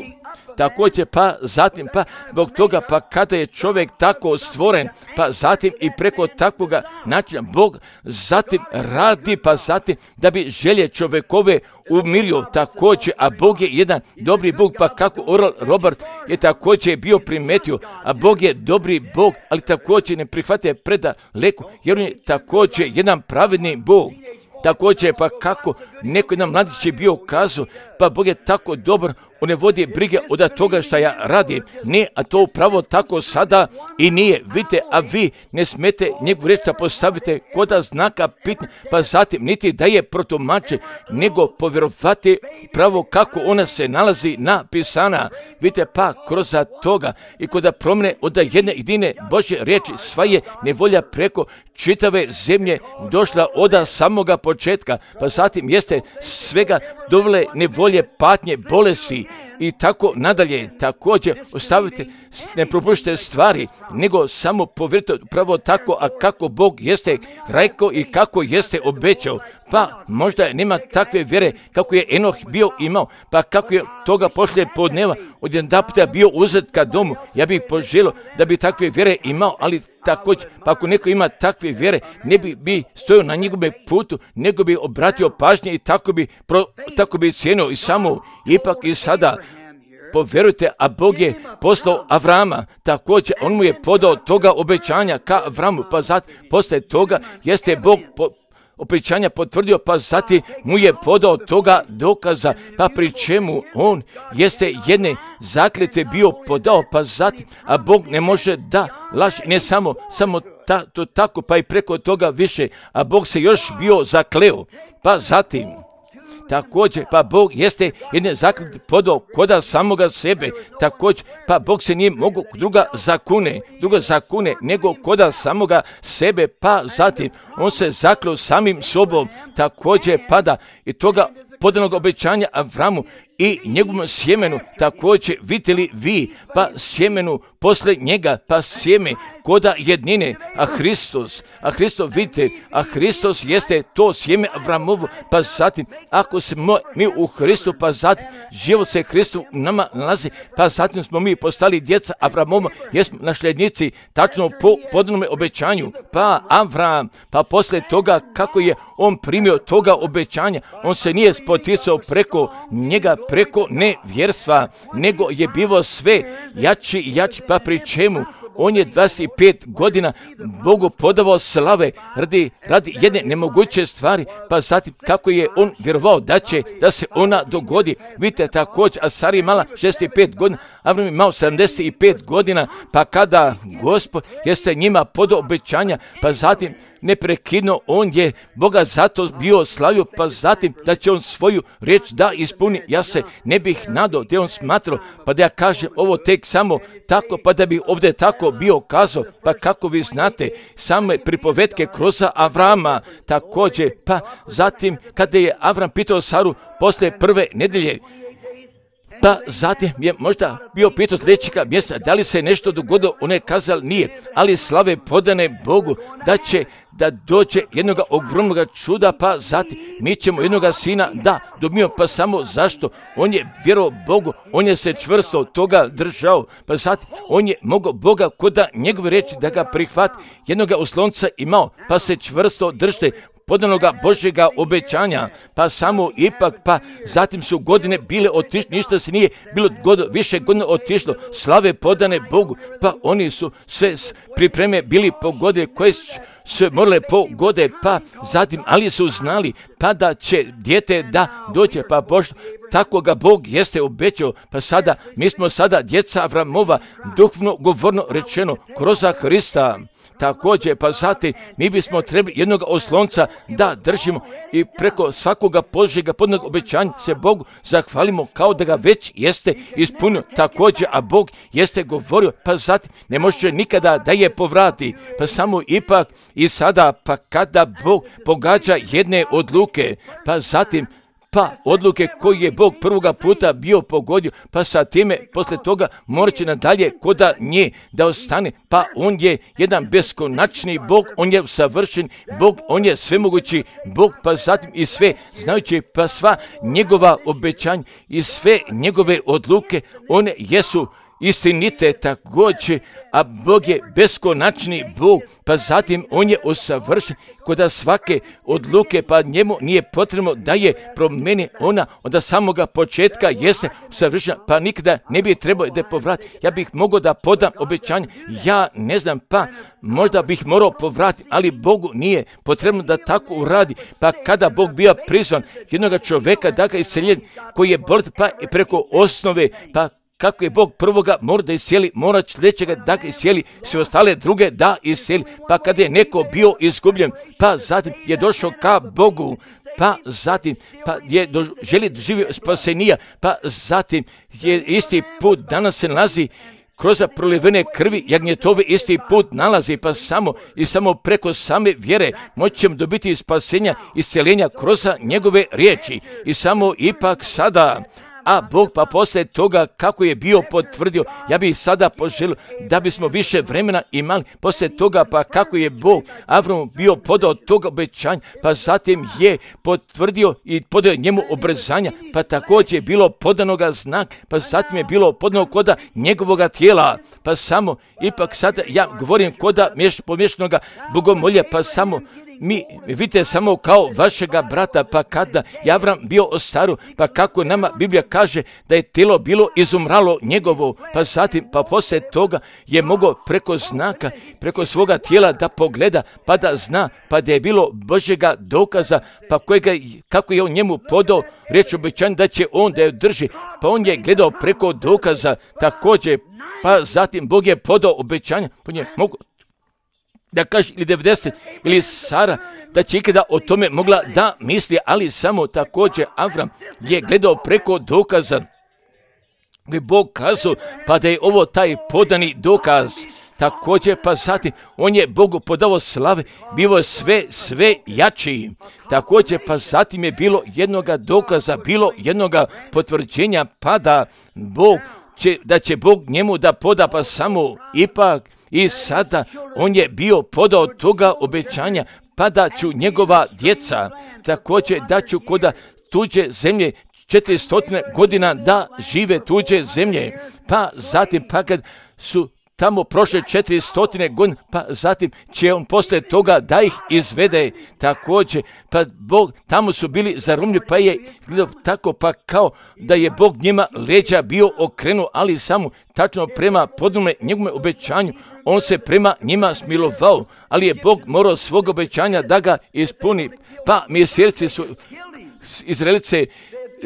Također, pa zatim, pa zbog toga, pa kada je čovjek tako stvoren, pa zatim i preko takvoga načina Bog zatim radi, pa zatim da bi želje čovjekove umirio također, a Bog je jedan dobri Bog, pa kako Oral Robert je također bio primetio, a Bog je dobri Bog, ali također ne prihvatuje predaleko, jer on je također jedan pravedni Bog. Također, pa kako neko jedan mladić je bio kazao, pa Bog je tako dobar, on ne vodi brige od toga što ja radim. Ne, a to upravo tako sada i nije. Vidite, a vi ne smete njegovu riječ da postavite koda znaka pitanja, pa zatim niti da je protumače, nego povjerovati pravo kako ona se nalazi napisana. Vidite, pa kroz toga i koda promjene od jedine Božje riječi, sva je nevolja preko čitave zemlje došla od samoga početka, pa zatim jeste svega dovele nevolje, patnje, bolesti i tako nadalje. Također ostavite, ne propuštite stvari, nego samo povjerite upravo tako, a kako Bog jeste rekao i kako jeste obećao. Pa možda nema takve vjere kako je Enoh bio imao, pa kako je toga poslije podneva odjedanputa bio uzet ka domu. Ja bih poželio da bi takve vjere imao, ali također, pa ako neko ima takve vjere, ne bi stojio na njegovom putu, nego bi obratio pažnje i tako bi cijenio i samo ipak i sada. Povjerujte, a Bog je poslao Avrama, također on mu je podao toga obećanja ka Avramu, pa zatim posle toga jeste Bog obećanja potvrdio, pa zatim mu je podao toga dokaza, pa pri čemu on jeste jedne zakljete bio podao, pa zatim, a Bog ne može da laži, ne samo to tako, pa i preko toga više, a Bog se još bio zakleo, pa zatim također, pa Bog jeste jedne zaključke podao koda samoga sebe, također, pa Bog se nije mogao druga zakune, nego koda samoga sebe, pa zatim on se zakleo samim sobom, također pada i toga podanog obećanja Avramu i njegovom sjemenu, također vidjeli vi, pa sjemenu posle njega, pa sjeme koda jednine, a Hristos vidite, a Hristos jeste to sjeme Avramovo, pa zatim ako smo mi u Hristu, pa zatim život se Hristu u nama nalazi, pa zatim smo mi postali djeca Avramova, jesmo nasljednici tačno po podanome obećanju, pa Avram, pa posle toga kako je on primio toga obećanja, on se nije spoticao preko njega, preko nevjerstva, nego je bilo sve jači, pa pri čemu on je 25 godina Bogu podavao slave radi jedne nemoguće stvari, pa zatim kako je on vjerovao da se ona dogodi. Vidite također, a Sara je imala 65 godina, Avram je imao 75 godina, pa kada Gospod jeste njima podao obećanja, pa zatim neprekidno on je Boga zato bio slavio, pa zatim da će on svoju riječ da ispuni. Ja se ne bih nadao da on smatrao, pa da ja kažem ovo tek samo tako, pa da bi ovdje tako bio kazao, pa kako vi znate same pripovetke kroz Avrama, također, pa zatim kada je Avram pitao Saru posle prve nedelje, pa zatim je možda bio pitao sljedećega mjesta da li se nešto dogodilo, on je kazao nije, ali slave podane Bogu da dođe jednoga ogromnog čuda, pa zatim mi ćemo jednoga sina da dobijemo, pa samo zašto? On je vjerovao Bogu, on je se čvrsto toga držao, pa zatim on je mogao Boga koda njegove riječi da ga prihvati, jednoga oslonca imao, pa se čvrsto držite podanoga Božjega obećanja, pa samo ipak, pa zatim su godine bile otišle, ništa se nije bilo više godina otišlo, slave podane Bogu, pa oni su sve pripreme bili pogode koje su morale pogode, pa zatim, ali su znali, pa da će dijete da dođe, pa Bož, tako ga Bog jeste obećao, pa sada, mi smo sada djeca Avramova, duhovno govorno rečeno, kroz Hrista. Također, pa zatim, mi bismo trebali jednog oslonca da držimo i preko svakoga Božjega podnog obećanja se Bogu zahvalimo kao da ga već jeste ispunio. Također, a Bog jeste govorio, pa zatim ne može nikada da je povrati, pa samo ipak i sada, pa kada Bog pogađa jedne odluke, pa zatim, pa odluke koje je Bog prvoga puta bio pogodio, pa sa time posle toga morat će nadalje koda nje da ostane, pa on je jedan beskonačni Bog, on je savršen Bog, on je svemogući Bog, pa zatim i sve znajući, pa sva njegova obećanja i sve njegove odluke, one jesu istinite također, a Bog je beskonačni Bog, pa zatim on je usavršen kod svake odluke, pa njemu nije potrebno da je promeni ona od samoga početka jeste usavršena, pa nikada ne bi trebao da povrati. Ja bih mogao da podam obećanje, ja ne znam, pa možda bih morao povratiti, ali Bogu nije potrebno da tako uradi, pa kada Bog bio prizvan jednog čovjeka da ga isceljen koji je bolet, pa i preko osnove, pa kako je Bog prvoga mora da iscijeli, mora sljedećega da ga iscijeli, sve ostale druge da iscijeli, pa kada je neko bio izgubljen, pa zatim je došao ka Bogu, pa zatim pa je želi doživio spasenija, pa zatim je isti put danas se nalazi kroz prolivene krvi jagnjetove isti put nalazi, pa samo preko same vjere moći ćemo dobiti spasenja, isceljenja kroz njegove riječi i samo ipak sada. A Bog pa poslije toga kako je bio potvrdio, ja bih sada poželio da bismo više vremena imali poslije toga, pa kako je Bog Avramu bio podao toga obećanja, pa zatim je potvrdio i podao njemu obrzanja, pa također je bilo podanoga znak, pa zatim je bilo podano koda njegovoga tijela, pa samo ipak sada ja govorim koda pomješanoga bogomolja, pa samo mi vidite samo kao vašega brata, pa kada je Avram bio ostaru, pa kako nama Biblija kaže da je tijelo bilo izumralo njegovo, pa zatim, pa poslije toga je mogao preko znaka, preko svoga tijela da pogleda, pa da zna, pa da je bilo Božjega dokaza, pa kako je on njemu podao riječ obećanja da će on da je drži, pa on je gledao preko dokaza također, pa zatim Bog je podao obećanja, pa je mogao da kaže ili 90 ili Sara, da će ikada o tome mogla da misli, ali samo također Avram je gledao preko dokaza. Je Bog kazao, pa da je ovo taj podani dokaz. Također, pa zatim, on je Bogu podao slave, bilo sve jači. Također, pa zatim je bilo jednoga dokaza, bilo jednoga potvrđenja, pa da će Bog njemu da poda, pa samo ipak i sada on je bio podao toga obećanja, pa da ću njegova djeca, također da ću koda tuđe zemlje, 400 godina da žive tuđe zemlje, pa zatim pa kad su tamo prošle 400 godina, pa zatim će on poslije toga da ih izvede. Također, pa Bog, tamo su bili zarumljivi, pa je gledao tako, pa kao da je Bog njima leđa bio okrenuo, ali samo tačno prema podnome njegovome obećanju, on se prema njima smilovao, ali je Bog morao svog obećanja da ga ispuni. Pa mjeseci su Izraelice,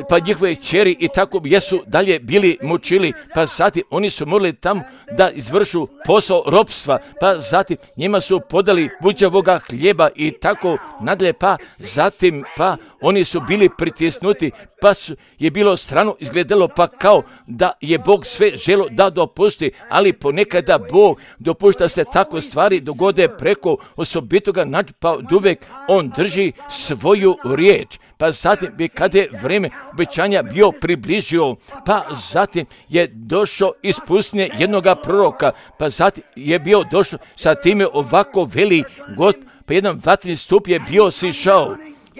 pa njihove kćeri i tako jesu dalje bili mučili, pa zatim oni su morali tamo da izvršu posao ropstva, pa zatim njima su podali buđavoga hljeba i tako nadalje, pa zatim pa oni su bili pritisnuti, pa je bilo strano izgledalo, pa kao da je Bog sve želo da dopusti, ali ponekada Bog dopušta se tako stvari dogode preko osobitoga načina, pa uvijek on drži svoju riječ. Pa zatim bi kada je vrijeme obećanja bio približio, pa zatim je došao ispustinje jednoga proroka, pa zatim je bio došao sa time ovako veli God, pa jedan vatreni stup je bio sišao,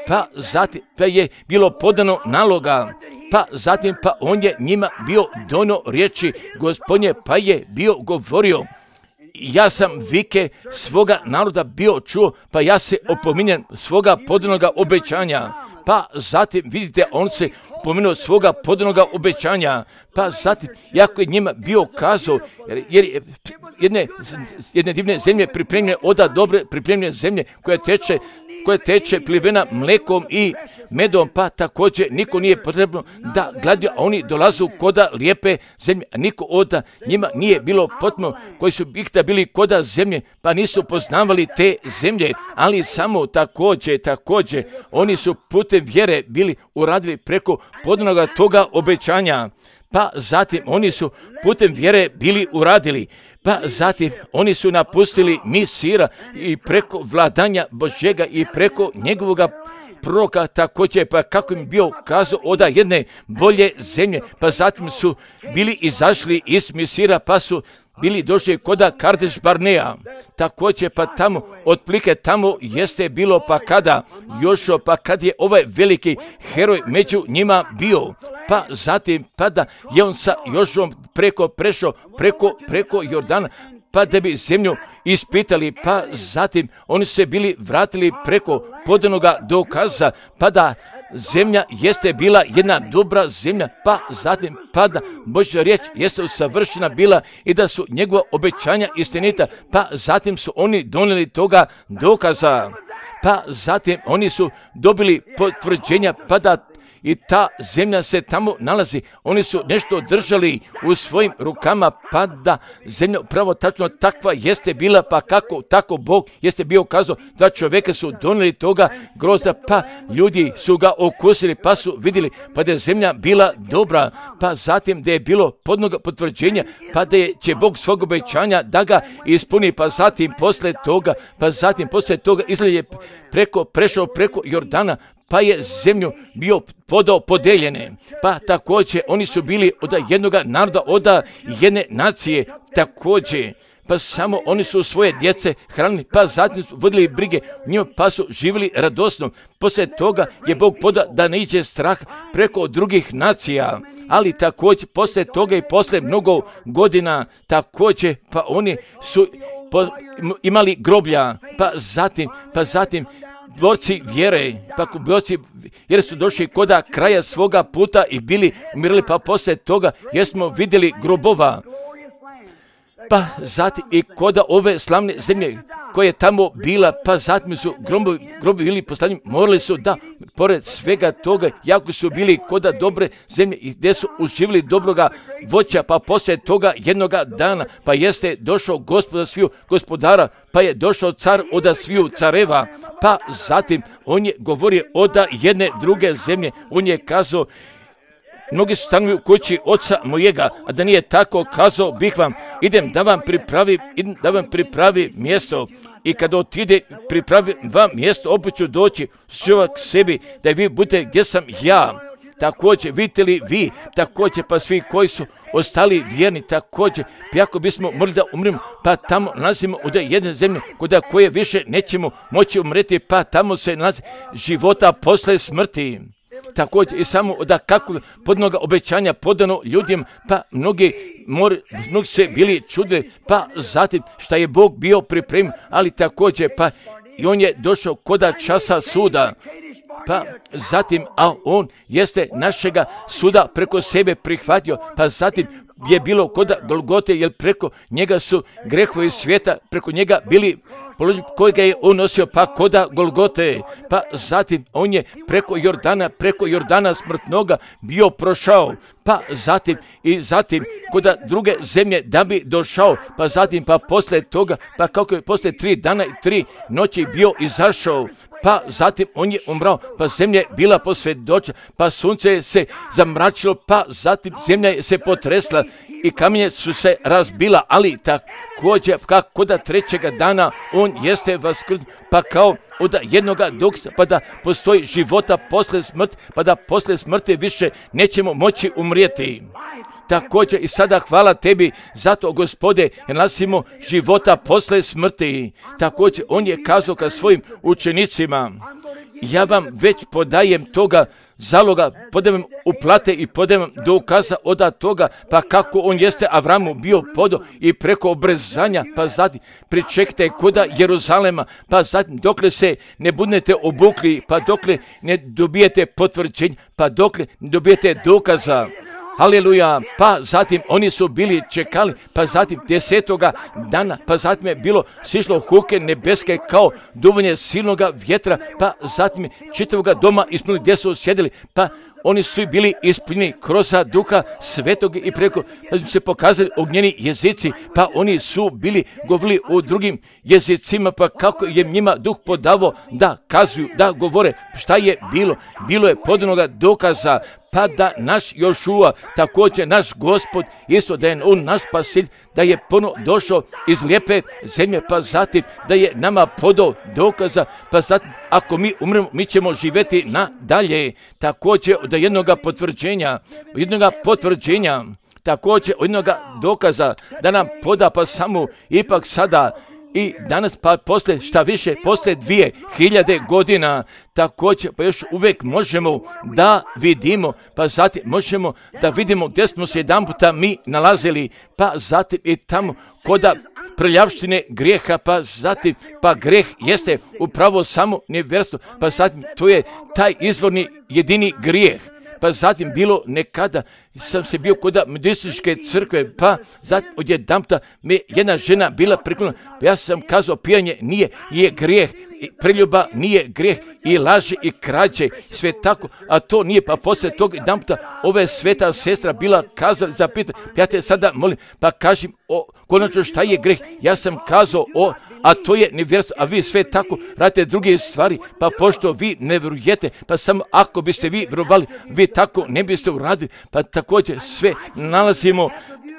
pa zatim pa je bilo podano naloga, pa zatim pa on je njima bio donio riječi Gospodnje, pa je bio govorio. Ja sam vike svoga naroda bio čuo, pa ja se opominjem svoga podanoga obećanja. Pa zatim, vidite, on se opomenuo svoga podanoga obećanja. Pa zatim, jako je njima bio kazao, jer jedne divne zemlje pripremljene, oda dobre pripremljene zemlje koja teče plivena mlekom i medom, pa također niko nije potrebno da gladio, a oni dolazu koda lijepe zemlje, a niko od njima nije bilo potrebno, koji su ikada bili koda zemlje, pa nisu poznavali te zemlje, ali samo također, oni su putem vjere bili uradili preko podanoga toga obećanja. Pa zatim oni su putem vjere bili uradili, pa zatim oni su napustili Misira i preko vladanja Božjega i preko njegovoga proroka također, pa kako im bio kazao oda jedne bolje zemlje, pa zatim su bili izašli iz Misira, pa su bili došli koda Kardeš Barnea, također pa tamo, otplike tamo jeste bilo pa kada Jošo, pa kad je ovaj veliki heroj među njima bio, pa zatim pa da je on sa Jošom prešao preko Jordana, pa da bi zemlju ispitali, pa zatim oni se bili vratili preko podanoga dokaza, pa da zemlja jeste bila jedna dobra zemlja, pa zatim pa da Božja riječ jeste usavršena bila i da su njegova obećanja istinita, pa zatim su oni donijeli toga dokaza, pa zatim oni su dobili potvrđenja, pa da i ta zemlja se tamo nalazi. Oni su nešto držali u svojim rukama, pa da zemlja pravo tačno takva jeste bila, pa kako tako Bog jeste bio kazao da čovjeka su donijeli toga grozda, pa ljudi su ga okusili, pa su vidjeli pa da je zemlja bila dobra, pa zatim da je bilo podnoga potvrđenja, pa da će Bog svog obećanja da ga ispuni, pa zatim posle toga Izrael je prešao preko Jordana, pa je zemlju bio podao podeljene, pa također oni su bili od jednoga naroda, od jedne nacije također, pa samo oni su svoje djece hranili, pa zatim su vodili brige njima, pa su živjeli radosno. Poslije toga je Bog podao da ne iđe strah preko drugih nacija, ali također poslije toga i poslije mnogo godina također, pa oni su imali groblja, pa zatim borci vjere, jer su došli koda kraja svoga puta i bili umirali, pa poslije toga jesmo vidjeli grobova. pa zatim i koda ove slavne zemlje koja je tamo bila, pa zatim su grobovi bili postavljeni, morali su da, pored svega toga, jako su bili koda dobre zemlje i gdje su uživili dobroga voća, pa poslije toga jednoga dana, pa jeste došao gospodar sviju gospodara, pa je došao car oda sviju careva, pa zatim on je govorio oda jedne druge zemlje, on je kazao, mnogi su stanovi u kući oca mojega, a da nije tako, kazao bih vam, idem da vam pripravi mjesto. I kada otide pripravi vam mjesto, opet ću doći k sebi, da vi budete gdje sam ja. Također, vidite li vi, također pa svi koji su ostali vjerni, također, pa ako bismo morali da umremo, pa tamo nalazimo od jedne zemlje, kod koje više nećemo moći umreti, pa tamo se nalazi života posle smrti. Također i samo da kako podnoga obećanja podano ljudima, pa mnogi se bili čudili, pa zatim šta je Bog bio pripremio, ali također pa i on je došao koda časa suda, pa zatim, a on jeste našega suda preko sebe prihvatio, pa zatim je bilo koda Golgote, jer preko njega su grehovi svijeta, preko njega bili kojega je on nosio, pa koda Golgote, pa zatim on je preko Jordana smrtnoga bio prošao, pa zatim koda druge zemlje da bi došao, pa zatim pa poslije toga, pa kako je poslije 3 dana i 3 noći bio izašao, pa zatim on je umrao, pa zemlja je bila posvjedočena, pa sunce se zamračilo, pa zatim zemlja je se potresla i kamenje su se razbila, ali također kako da 3. dana on jeste vaskrsnuo, pa kao od jednoga doksa, pa da postoji života posle smrti, pa da posle smrti više nećemo moći umrijeti. Također i sada hvala tebi zato, Gospode, jer nalazimo života posle smrti. Također on je kazao ka svojim učenicima, ja vam već podajem toga zaloga, podajem uplate i podajem dokaza od toga, pa kako on jeste Avramu bio podo i preko obrezanja, pa zatim pričekajte koda Jeruzalema, pa zatim dokle se ne budete obukli, pa dokle ne dobijete potvrđenje, pa dokle ne dobijete dokaza. Haleluja, pa zatim oni su bili čekali, pa zatim 10. dana, pa zatim je bilo sišlo huke nebeske kao duvanje silnoga vjetra, pa zatim je čitavoga doma ispunili gdje su sjedili, pa oni su bili ispunjeni kroz duha svetog i preko se pokazali ognjeni jezici, pa oni su bili govorili u drugim jezicima, pa kako je njima duh podavo da kazuju, da govore šta je bilo je podanoga dokaza, pa da naš Jošua, također naš Gospod, isto da je on naš Spasitelj, da je ponovo došao iz lijepe zemlje, pa zatim da je nama podao dokaza, pa zatim ako mi umremo, mi ćemo živjeti nadalje. Također od jednoga potvrđenja, također od jednoga dokaza da nam poda, pa samo ipak sada i danas, pa posle šta više, posle 2000 godina, također pa još uvijek možemo da vidimo, pa zatim možemo da vidimo gdje smo se jedan puta mi nalazili, pa zatim i tamo koda prljavštine grijeha, pa zatim pa greh jeste upravo samo nevjerstvo, pa zatim to je taj izvorni jedini grijeh. Pa zatim bilo nekada, sam se bio kod Metodističke crkve, pa zatim odjedanputa me jedna žena bila priklonila, pa ja sam kazao pijanje nije grijeh, preljuba nije grijeh, i laži i krađe, sve tako, a to nije, pa poslije tog jedanputa ove sveta sestra bila kazala, zapita, ja te sada molim, pa kažem, konačno šta je grijeh, ja sam kazao, a to je nevjerstvo, a vi sve tako radite druge stvari, pa pošto vi ne vjerujete, pa samo ako biste vi vjerovali, vi tako ne biste uradili, pa također sve nalazimo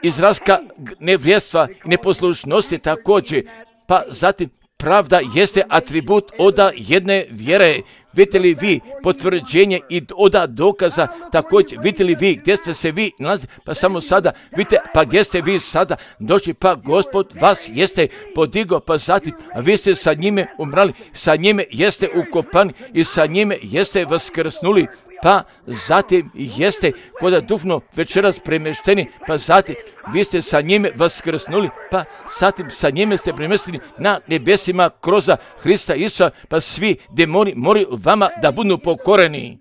izraska nevjerstva i neposlušnosti također, pa zatim pravda jeste atribut od jedne vjere. Vidite li vi potvrđenje i od dokaza, također vidite li vi gdje ste se vi nalazili, pa samo sada vidite, pa gdje ste vi sada došli, pa Gospod vas jeste podigao, pa zatim vi ste sa njime umrali, sa njime jeste ukopani i sa njime jeste vaskrsnuli, pa zatim jeste kod duhovno večeras premješteni, pa zatim vi ste sa njime vaskrsnuli, pa zatim sa njime ste premješteni na nebesima kroz Hrista Isusa, pa svi demoni moraju vama da budu pokoreni.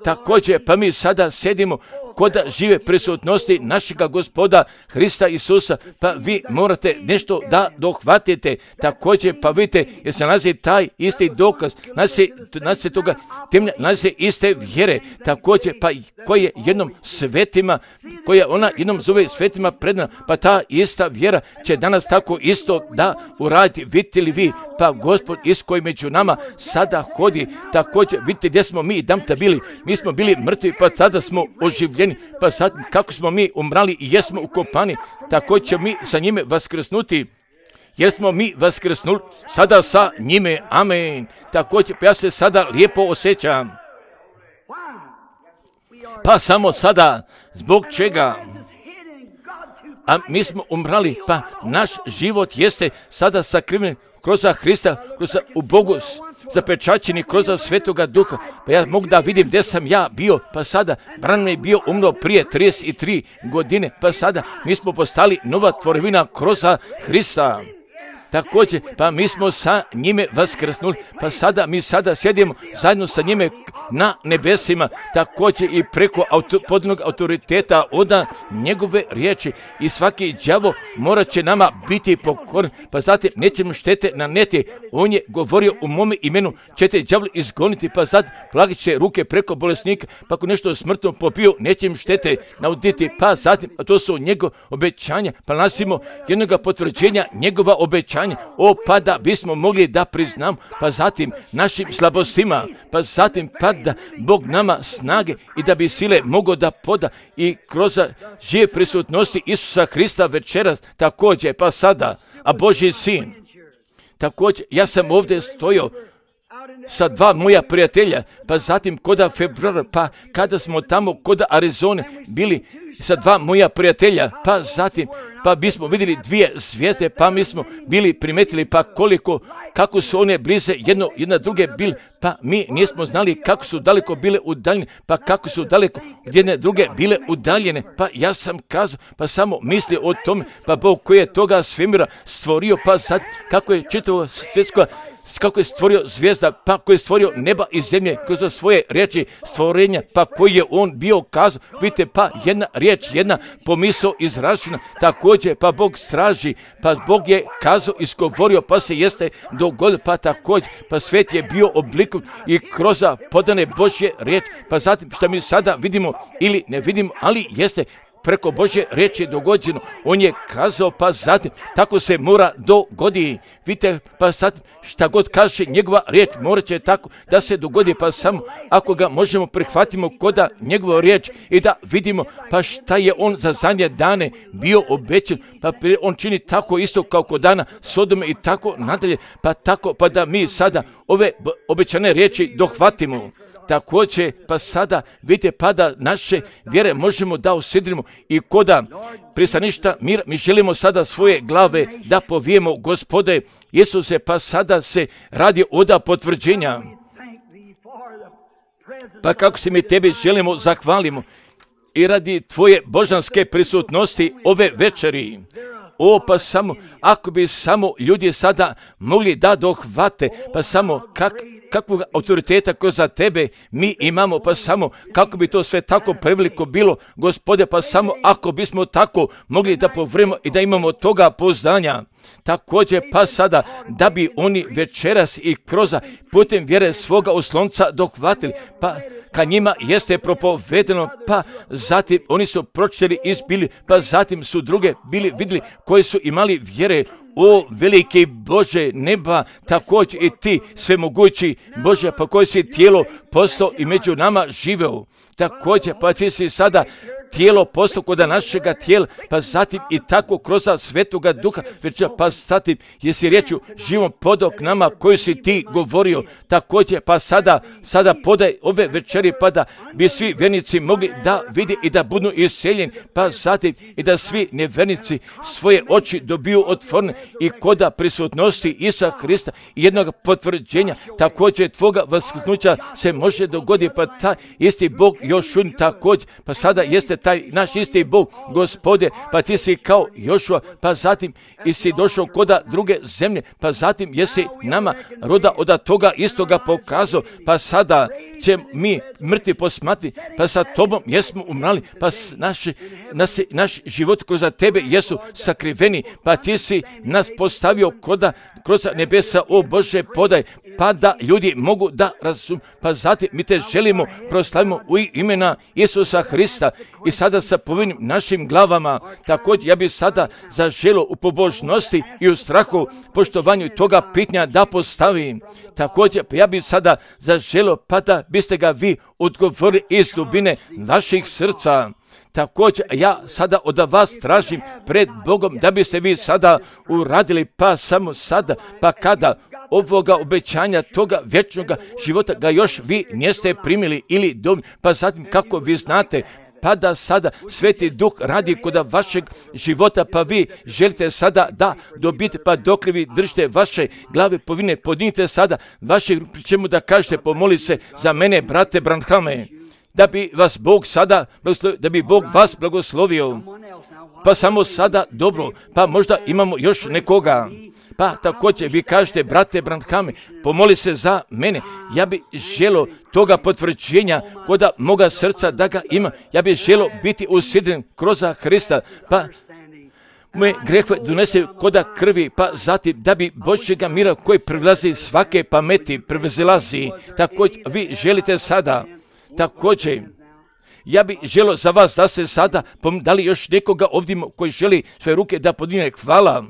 također, pa mi sada sedimo kod žive prisutnosti našega Gospoda Hrista Isusa, pa vi morate nešto da dohvatite. Također, pa vidite, jer se nalazi taj isti dokaz, nalazi toga temelja, nalazi iste vjere, također, pa koje jednom svetima, koja ona jednom zove svetima predana, pa ta ista vjera će danas tako isto da uradi. Vidite li vi, pa Gospod iz koji među nama sada hodi, također, vidite gdje smo mi damta bili, mi smo bili mrtvi, pa sada smo oživljeni, pa sad kako smo mi umrali i jesmo ukopani, tako će mi sa njime vaskrsnuti, jer smo mi vaskrsnuli sada sa njime, amen. Također, ja se sada lijepo osjećam, pa samo sada, zbog čega? A mi smo umrali, pa naš život jeste sada sakriven kroz Hrista, kroz u Bogu zapečaćeni kroz Svetoga Duha. Pa ja mogu da vidim gdje sam ja bio, pa sada Branham je bio umro prije 33 godine, pa sada mi smo postali nova tvorevina kroz Hrista. Također, pa mi smo sa njime vaskrsnuli, pa sada mi sada sjedimo zajedno sa njime na nebesima, također i preko podnog autoriteta od njegove riječi, i svaki đavo morat će nama biti pokoran, pa zatim nećemo štete naneti. On je govorio u mome imenu ćete đavli izgoniti, pa zatim plagit će ruke preko bolesnika, pa ako nešto smrtno popio neće im štete nauditi, pa zatim, a to su njegove obećanja, pa nasimo jednoga potvrđenja njegova obećanja. Pa da bismo mogli da priznam, pa zatim našim slabostima, pa zatim pa da Bog nama snage i da bi sile mogao da poda i kroz žive prisutnosti Isusa Hrista večeras, također pa sada, a Božji sin. Također, ja sam ovdje stojao sa dva moja prijatelja, pa zatim kod februara, pa kada smo tamo kod Arizone bili sa dva moja prijatelja, pa zatim, pa bismo vidjeli dvije zvijezde, pa mi smo bili primetili, pa kako su one blize jedna druge bile, pa mi nismo znali kako su daleko bile udaljene, pa kako su daleko jedne druge bile udaljene, pa ja sam kazao, pa samo misli o tome, pa Bog koji je toga svemira stvorio, pa sad kako je čitavo svjetsko, kako je stvorio zvijezda, pa koji je stvorio neba i zemlje kroz svoje riječi stvorenja, pa koji je on bio kazao, vidite, pa jedna riječ, jedna pomisao izražena, također, pa Bog straži, pa Bog je kazao, izgovorio, pa se jeste dogodilo, pa također, pa svijet je bio oblikom i kroz podane Božje riječ, pa zatim što mi sada vidimo ili ne vidimo, ali jeste preko Božje riječi dogođeno. On je kazao, pa zatim tako se mora dogodi. Vidite, pa sad šta god kaže njegova riječ morat će tako da se dogodi, pa samo ako ga možemo prihvatimo kod njegovu riječ i da vidimo pa šta je on za zadnje dane bio obećan, pa on čini tako isto kao kod dana Sodome i tako nadalje, pa tako pa da mi sada ove obećane riječi dohvatimo. Također, pa sada vidite, pa da naše vjere možemo da usidrimo i koda pristaništa mira, mi želimo sada svoje glave da povijemo, Gospode Isuse, pa sada se radi oda potvrđenja. Pa kako se mi tebi želimo, zahvalimo i radi tvoje božanske prisutnosti ove večeri. Pa samo, ako bi samo ljudi sada mogli da dohvate, pa samo kakvog autoriteta ko za tebe mi imamo, pa samo kako bi to sve tako preveliko bilo, Gospode, pa samo ako bismo tako mogli da povremo i da imamo toga poznanja. Također, pa sada da bi oni večeras i kroz putem vjere svoga oslonca dohvatili, pa ka njima jeste propovedeno, pa zatim oni su pročitali i izbili, pa zatim su druge bili vidjeli koji su imali vjere. O veliki Bože neba, također i ti svemogući Bože, pa koji si tijelo postao i među nama živeo. Također, pa ti si sada tijelo postao kod našega tijela, pa zatim i tako kroz Svetoga Duha, već pa zatim jesi riječju živom podok nama koju si ti govorio. Također, pa sada podaj ove večeri, pa da bi svi vjernici mogli da vidi i da budu iseljeni, pa zatim i da svi nevjernici svoje oči dobiju otvorene i koda prisutnosti Isusa Hrista i jednog potvrđenja, također tvoga vaskrsnuća se može dogoditi, pa taj isti Bog još također, pa sada jeste taj naš isti Bog, Gospode, pa ti si kao Jošua, pa zatim i si došao koda druge zemlje, pa zatim jesi nama roda od toga istoga pokazao, pa sada će mi mrtvi posmati, pa sa tobom jesmo umrali, pa naš život kroz tebe jesu sakriveni, pa ti si nas postavio kroz nebesa, o Bože, podaj, pa da ljudi mogu da razumiju, pa zatim mi te želimo, proslavimo u imena Isusa Hrista i sada sa povinim našim glavama. Također ja bih sada zaželio u pobožnosti i u strahu, poštovanju toga pitanja da postavim. Također ja bih sada zaželio pa da biste ga vi odgovorili iz dubine vaših srca. Također ja sada od vas tražim pred Bogom da biste vi sada uradili, pa samo sada, pa kada ovoga obećanja, toga vječnoga života ga još vi niste primili ili dobili, pa zatim kako vi znate, pa da sada Sveti Duh radi kod vašeg života, pa vi želite sada da dobiti, pa dok li vi držite vaše glave povine, podignite sada vaše, pri čemu da kažete, pomoli se za mene, brate Branhame, da bi vas Bog sada blagoslovio, da bi Bog vas blagoslovio. Pa samo sada, dobro, pa možda imamo još nekoga. Pa također vi kažete, brate Branhame, pomoli se za mene. Ja bih želio toga potvrđenja kod moga srca da ga ima. Ja bih želio biti usidren kroz Hrista, pa moje grehove donese koda krvi, pa zatim da bi Božjega mira koji prevazilazi svake pameti, prevazilazi. Također vi želite sada, također ja bih želio za vas da se sada, da li još nekoga ovdje koji želi svoje ruke da podigne, hvala.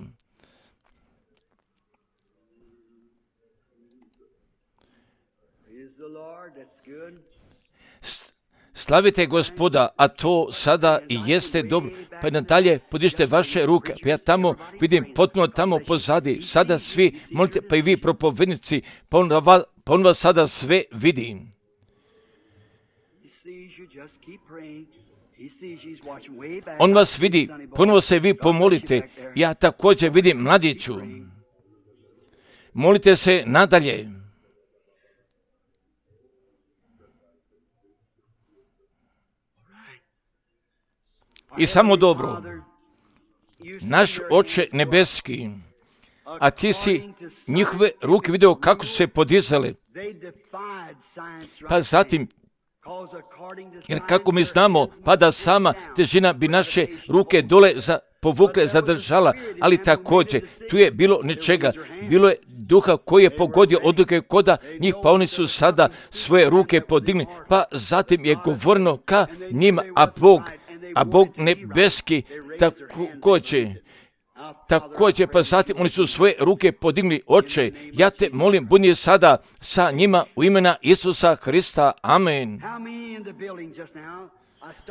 Slavite Gospoda, a to sada i jeste dobro. Pa nadalje podižite vaše ruke. Pa ja tamo vidim potpuno tamo pozadi. Sada svi molite, pa i vi propovednici, pa on vas sada sve vidi. On vas vidi, ponovo se vi pomolite. Ja također vidim mladiću. Molite se nadalje. I samo dobro, naš Oče nebeski, a ti si njihove ruke vidio kako su se podizale, pa zatim, jer kako mi znamo, pa da sama težina bi naše ruke dole povukle, zadržala, ali također tu je bilo nečega, bilo je duha koji je pogodio odluke koda njih, pa oni su sada svoje ruke podigli, pa zatim je govoreno ka njima, a Bog nebeski također, pa zatim oni su svoje ruke podigli. Oče, ja te molim, budi sada sa njima u imena Isusa Hrista. Amen.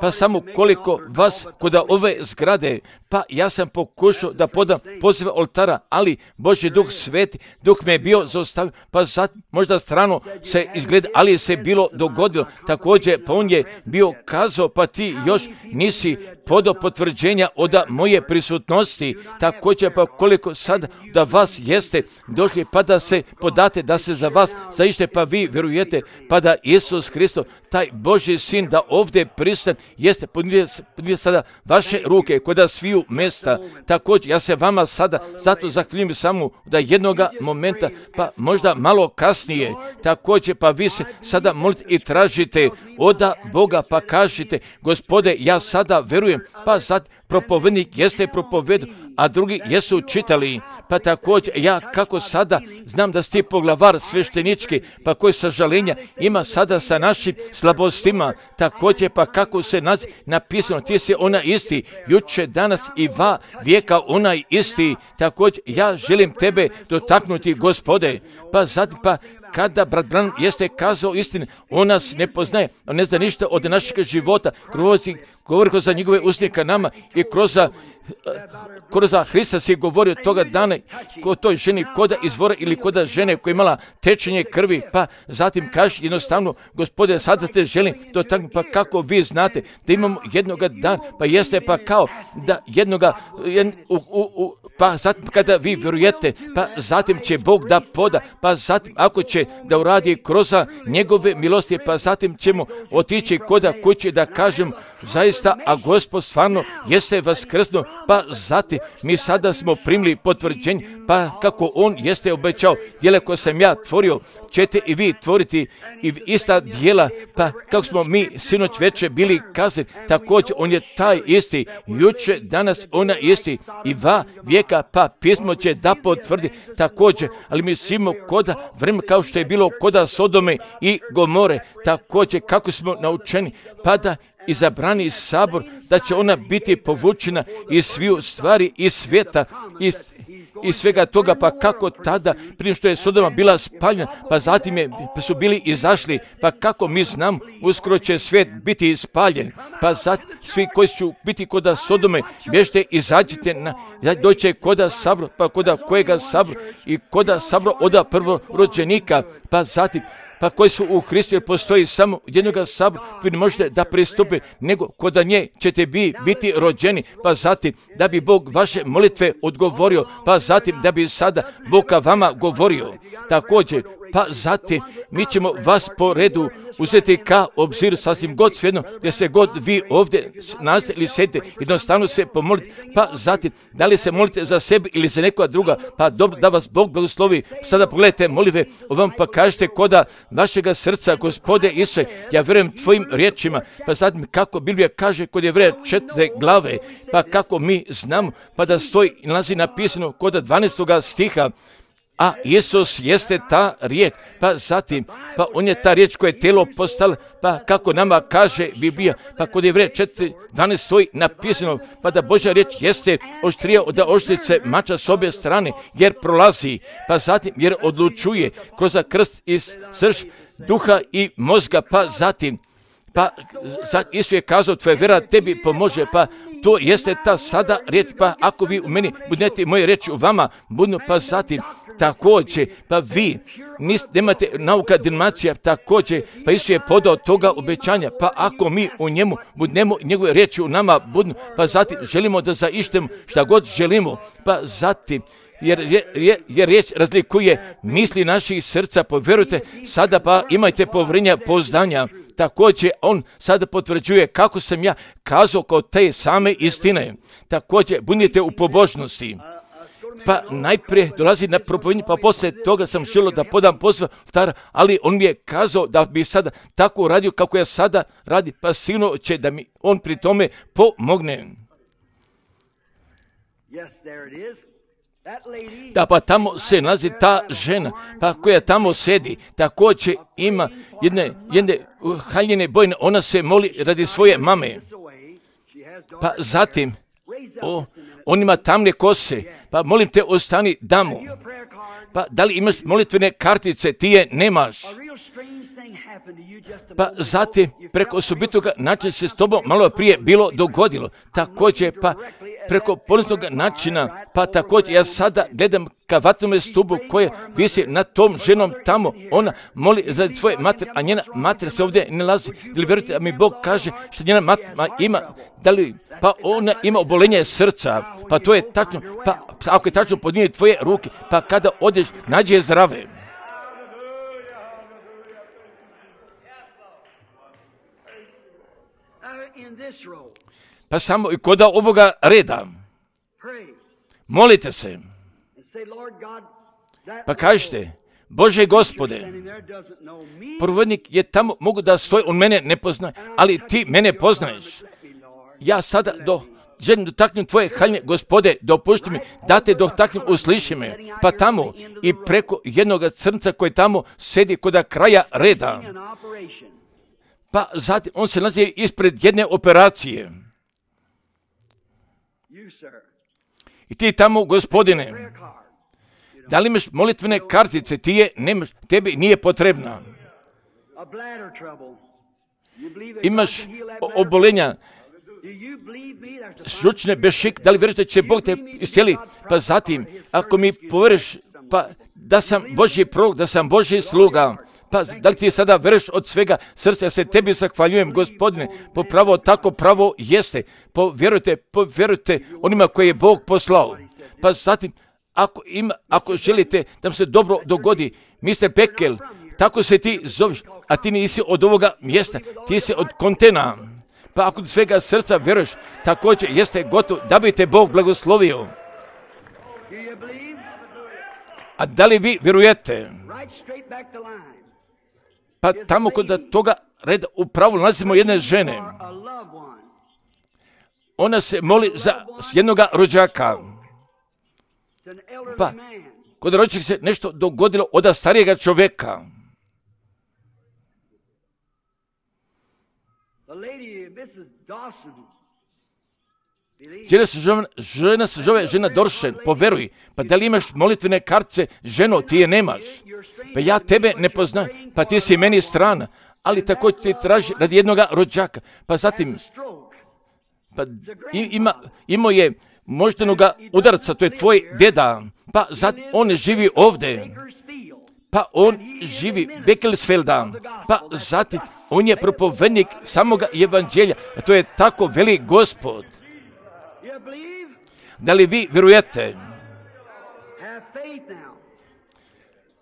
Pa samo koliko vas kod ove zgrade, pa ja sam pokušao da podam pozive oltara, ali Božji Duh Sveti, Duh me je bio zaustavio, pa možda strano se izgleda, ali se bilo dogodilo. Također, pa on je bio kazao, pa ti još nisi podao potvrđenja od moje prisutnosti. Također, pa koliko sad da vas jeste došli, pa da se podate, da se za vas zaište, pa vi vjerujete, pa da Isus Hristo, taj Božji sin, da ovdje pristan jeste, podnijete sada vaše ruke kod sviju mjesta. Također, ja se vama sada zato zahvaljujem samo da jednoga momenta, pa možda malo kasnije, također, pa vi se sada molite i tražite od Boga, pa kažite, Gospode, ja sada verujem, pa sad propovednik jeste propovedu, a drugi jesu čitali, pa također ja kako sada znam da si ti poglavar sveštenički, pa koji sažalenja ima sada sa našim slabostima, također pa kako se napisano, ti si ona isti, juče, danas i vijeka onaj isti, također ja želim tebe dotaknuti, Gospode, pa zatim pa kada brat Branham jeste kazao istinu, on nas ne poznaje, on ne zna ništa od našeg života, govori kroz njegove usnike nama i kroz Hrista si govorio toga dana kod toj ženi, koda izvora ili koda žene koja je imala tečenje krvi, pa zatim kaže jednostavno, Gospode, sada te želim dotaknuti, pa kako vi znate da imamo jednoga dana, pa jeste pa kao da pa zatim kada vi vjerujete, pa zatim će Bog da poda, pa zatim ako će da uradi kroz njegove milosti, pa zatim ćemo otići koda kuće da kažem, zaista, a Gospod stvarno jeste vaskrsnuo, pa zatim mi sada smo primili potvrđenje, pa kako on jeste obećao, djela koje sam ja tvorio, ćete i vi tvoriti i ista djela, pa kako smo mi sinoć večer bili kazani, također on je taj isti, juče, danas ona isti i va vijeka, pa pismo će da potvrdi također, ali mi svimo koda vreme kao što je bilo koda Sodome i Gomore, također kako smo naučeni, pa da izabrani sabor, da će ona biti povučena iz sviju stvari, iz svijeta, iz svega toga, pa kako tada, prije što je Sodoma bila spaljena, pa zatim su bili izašli, pa kako mi znamo, uskoro će svijet biti spaljen, pa zatim svi koji će biti koda Sodome, bježite, izađite, doće koda sabor, pa koda kojega sabor i koda sabor oda prvorođenika, pa zatim pa koji su u Hristu, jer postoji samo jednoga sabora, vi ne možete da pristupi, nego kod nje ćete biti rođeni, pa zatim da bi Bog vaše molitve odgovorio, pa zatim da bi sada Bog ka vama govorio. Također, pa zatim mi ćemo vas po redu uzeti ka obziru sasvim god svejedno, gdje se god vi ovdje nalazite ili sedite, jednostavno se pomolite, pa zatim da li se molite za sebe ili za nekoga druga, pa dobro da vas Bog blagoslovi. Sada pogledajte molitve, ovam pa kažete koda vašega srca, Gospode Isuse, ja vjerujem tvojim riječima, pa zatim kako Biblija kaže kod Jevreja 4. glave, pa kako mi znamo, pa da stoji i nalazi napisano kod 12. stiha, a Isus jeste ta riječ, pa zatim, pa on je ta riječ koja je tijelo postala, pa kako nama kaže Biblija, pa kod Jevreja 4.12 stoji napisano, pa da Božja riječ jeste oštrija od oštrice mača s obje strane, jer prolazi, pa zatim jer odlučuje kroz krst i srž duha i mozga, pa zatim, pa Isus je kazao, tvoja vjera tebi pomože, pa to jeste ta sada riječ, pa ako vi u meni budete moje riječi u vama, budu, pa zatim također, pa vi nemate nauka dinacija, također, pa Isus je podao toga obećanja, pa ako mi u njemu budemo njegove riječi u nama budu, pa zatim želimo da zaištemo šta god želimo, pa zatim, jer riječ razlikuje misli naših srca, povjerujte, sada pa imajte povjerenja, poznanja, također on sada potvrđuje kako sam ja kazao kod te same istine, također budite u pobožnosti. Pa najprije dolazi na propovednje, pa poslije toga sam želio da podam posao stara, ali on mi je kazao da bi sada tako radio kako ja sada radi, pa sigurno će da mi on pri tome pomogne. Da, pa tamo se nalazi ta žena, pa koja tamo sedi, također ima jedne haljine bojne, ona se moli radi svoje mame. Pa zatim, on ima tamne kose, pa molim te ostani damo. Pa da li imaš molitvene kartice, ti je nemaš. Pa zatim, preko osobitoga načina se s tobom malo prije bilo dogodilo. Također, pa preko ponosnog načina, pa također ja sada gledam ka vatnome stubu koja visi nad tom ženom tamo, ona moli za svoje mater, a njena mater se ovdje ne nalazi. Da li vjerujete da mi Bog kaže što njena mater ima, da li, pa ona ima obolenje srca, pa to je tačno, pa ako je tačno podnije tvoje ruke, pa kada odeš, nađi je zdrave. Pa samo i kod ovoga reda molite se, pa kažete, Bože Gospode, provodnik je tamo, mogu da stoji, on mene ne poznaje, ali ti mene poznaješ. Ja sada želim dotaknem tvoje haljine, Gospode, dopušti mi da te dotaknem, usliši me, pa tamo i preko jednog crnca koji tamo sedi kod kraja reda. Pa zatim on se nalazi ispred jedne operacije. I ti tamo, Gospodine, da li imaš molitvene kartice, ti je nemaš, tebi nije potrebna. Imaš obolenja, žučne bešik, da li vjeruješ da će Bog te iscijeli? Pa zatim, ako mi povjeriš, pa da sam Božji prorok, da sam Božji sluga, pa da li ti sada vjeruješ od svega srca, ja se tebi zahvaljujem, Gospodine, po pravo tako pravo jeste, povjerujte onima koje je Bog poslao. Pa zatim, ako želite da vam se dobro dogodi, Mr. Beckel, tako se ti zoveš, a ti nisi od ovoga mjesta, ti si od kontena. Pa ako svega srca vjeruješ, također jeste gotov da bi te Bog blagoslovio. A da li vi vjerujete? Pa tamo kod toga reda upravo nalazimo jedne žene. Ona se moli za jednoga rođaka. Pa kod rođaka se nešto dogodilo od starijega čovjeka. Žena se zove žena Doršen, poveruj. Pa da li imaš molitvene kartice, ženo, ti je nemaš. Pa ja tebe ne poznam, pa ti si meni strana, ali također ti traži radi jednoga rođaka. Pa zatim, pa imao je moždanoga udarca, to je tvoj deda, pa zatim on živi ovdje. Pa on živi Bekelsfelda, pa zatim on je propovednik samoga evanđelja, a to je tako veli Gospod. Da li vi vjerujete?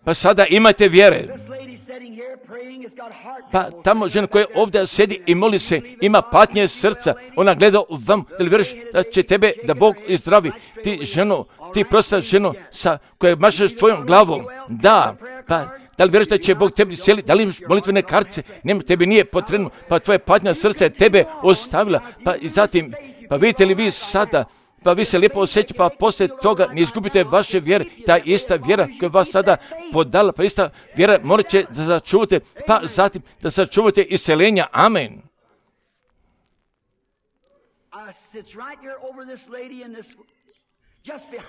Pa sada imate vjere. Pa tamo žena koja ovdje sjedi i moli se, ima patnje srca, ona gleda u vam, da li vjeruješ da će tebe, da Bog izdravi? Ti ženo, ti prosta ženo koja mašeš tvojom glavom, da, pa da li vjeruješ da će Bog tebi sjeli, da li imaš molitvene kartice, nema, tebi nije potrebno, pa tvoje patnja srca je tebe ostavila, pa i zatim, pa vidite li vi sada, pa vi se lijepo osjećate, pa poslije toga ne izgubite vaše vjere, ta ista vjera koja vas sada podala, pa ista vjera morat će da sačuvate, pa zatim da sačuvate iseljenja. Amen.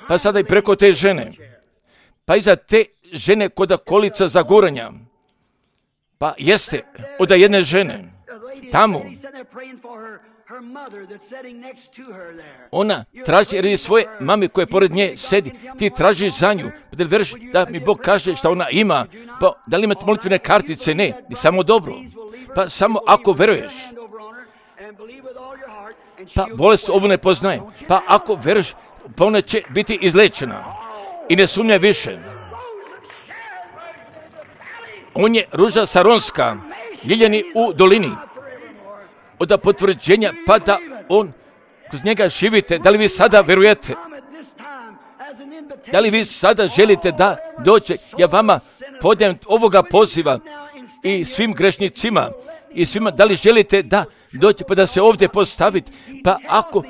Pa sada i preko te žene, pa iza te žene kod kolica za guranja, pa jeste od jedne žene, tamo, ona traži radi svoje mame koje pored nje sedi, ti tražiš za nju, da li vjeruješ da mi Bog kaže šta ona ima, pa da li imate molitvene kartice, ne, ni samo dobro, pa samo ako vjeruješ, pa bolest ovu ne poznaje, pa ako vjeruješ, pa ona će biti izlečena i ne sumnja više. On je ruža saronska, ljiljani u dolini, od potvrđenja, pa da on kroz njega živite. Da li vi sada vjerujete? Da li vi sada želite da dođe? Ja vama podajem ovoga poziva i svim grešnicima i svima, da li želite da dođe pa da se ovdje postaviti? Pa ako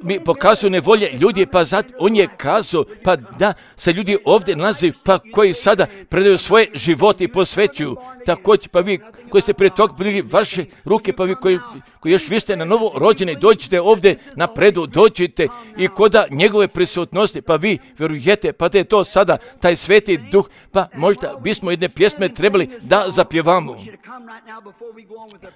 mi pokazuju nevolje ljudi, pa zato on je kazao, pa da se ljudi ovdje nalaze, pa koji sada predaju svoje živote i posvećuju. Također, pa vi koji ste prije tog bili vaše ruke, pa vi koji još vi ste na novo rođeni, dođite ovdje napredu, dođite i koda njegove prisutnosti, pa vi vjerujete, pa da je to sada taj sveti duh, pa možda bismo jedne pjesme trebali da zapjevamo.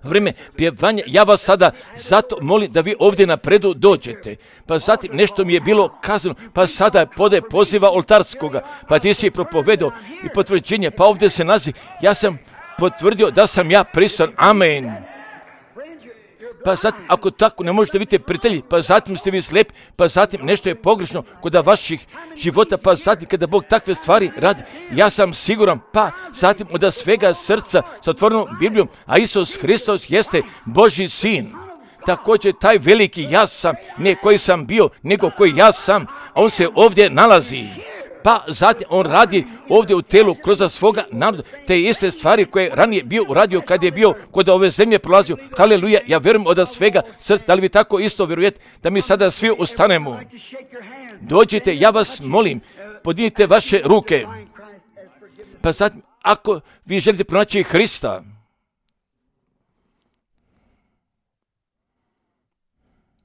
Vrijeme pjevanja, ja vas sada zato molim da vi ovdje napredu dođete. Pa zatim nešto mi je bilo kazano, pa sada pode poziva oltarskoga, pa ti si propovedao i potvrđenje, pa ovdje se nalazi, ja sam potvrdio da sam ja pristojan, amen. Pa zatim, ako tako ne možete vidjeti prijatelji, pa zatim ste vi slijepi, pa zatim nešto je pogrešno kod vaših života, pa zatim kada Bog takve stvari radi, ja sam siguran, pa zatim od svega srca s otvorenom Biblijom, a Isus Hristos jeste Božji sin. Također taj veliki ja sam, ne koji sam bio, nego koji ja sam, a on se ovdje nalazi. Pa zatim on radi ovdje u telu kroz svoga naroda te iste stvari koje ranije bio uradio kad je bio kod ove zemlje prolazio. Haleluja, ja vjerujem od svega srca. Da li vi tako isto vjerujete da mi sada svi ustanemo? Dođite, ja vas molim, podignite vaše ruke. Pa zatim, ako vi želite pronaći Hrista,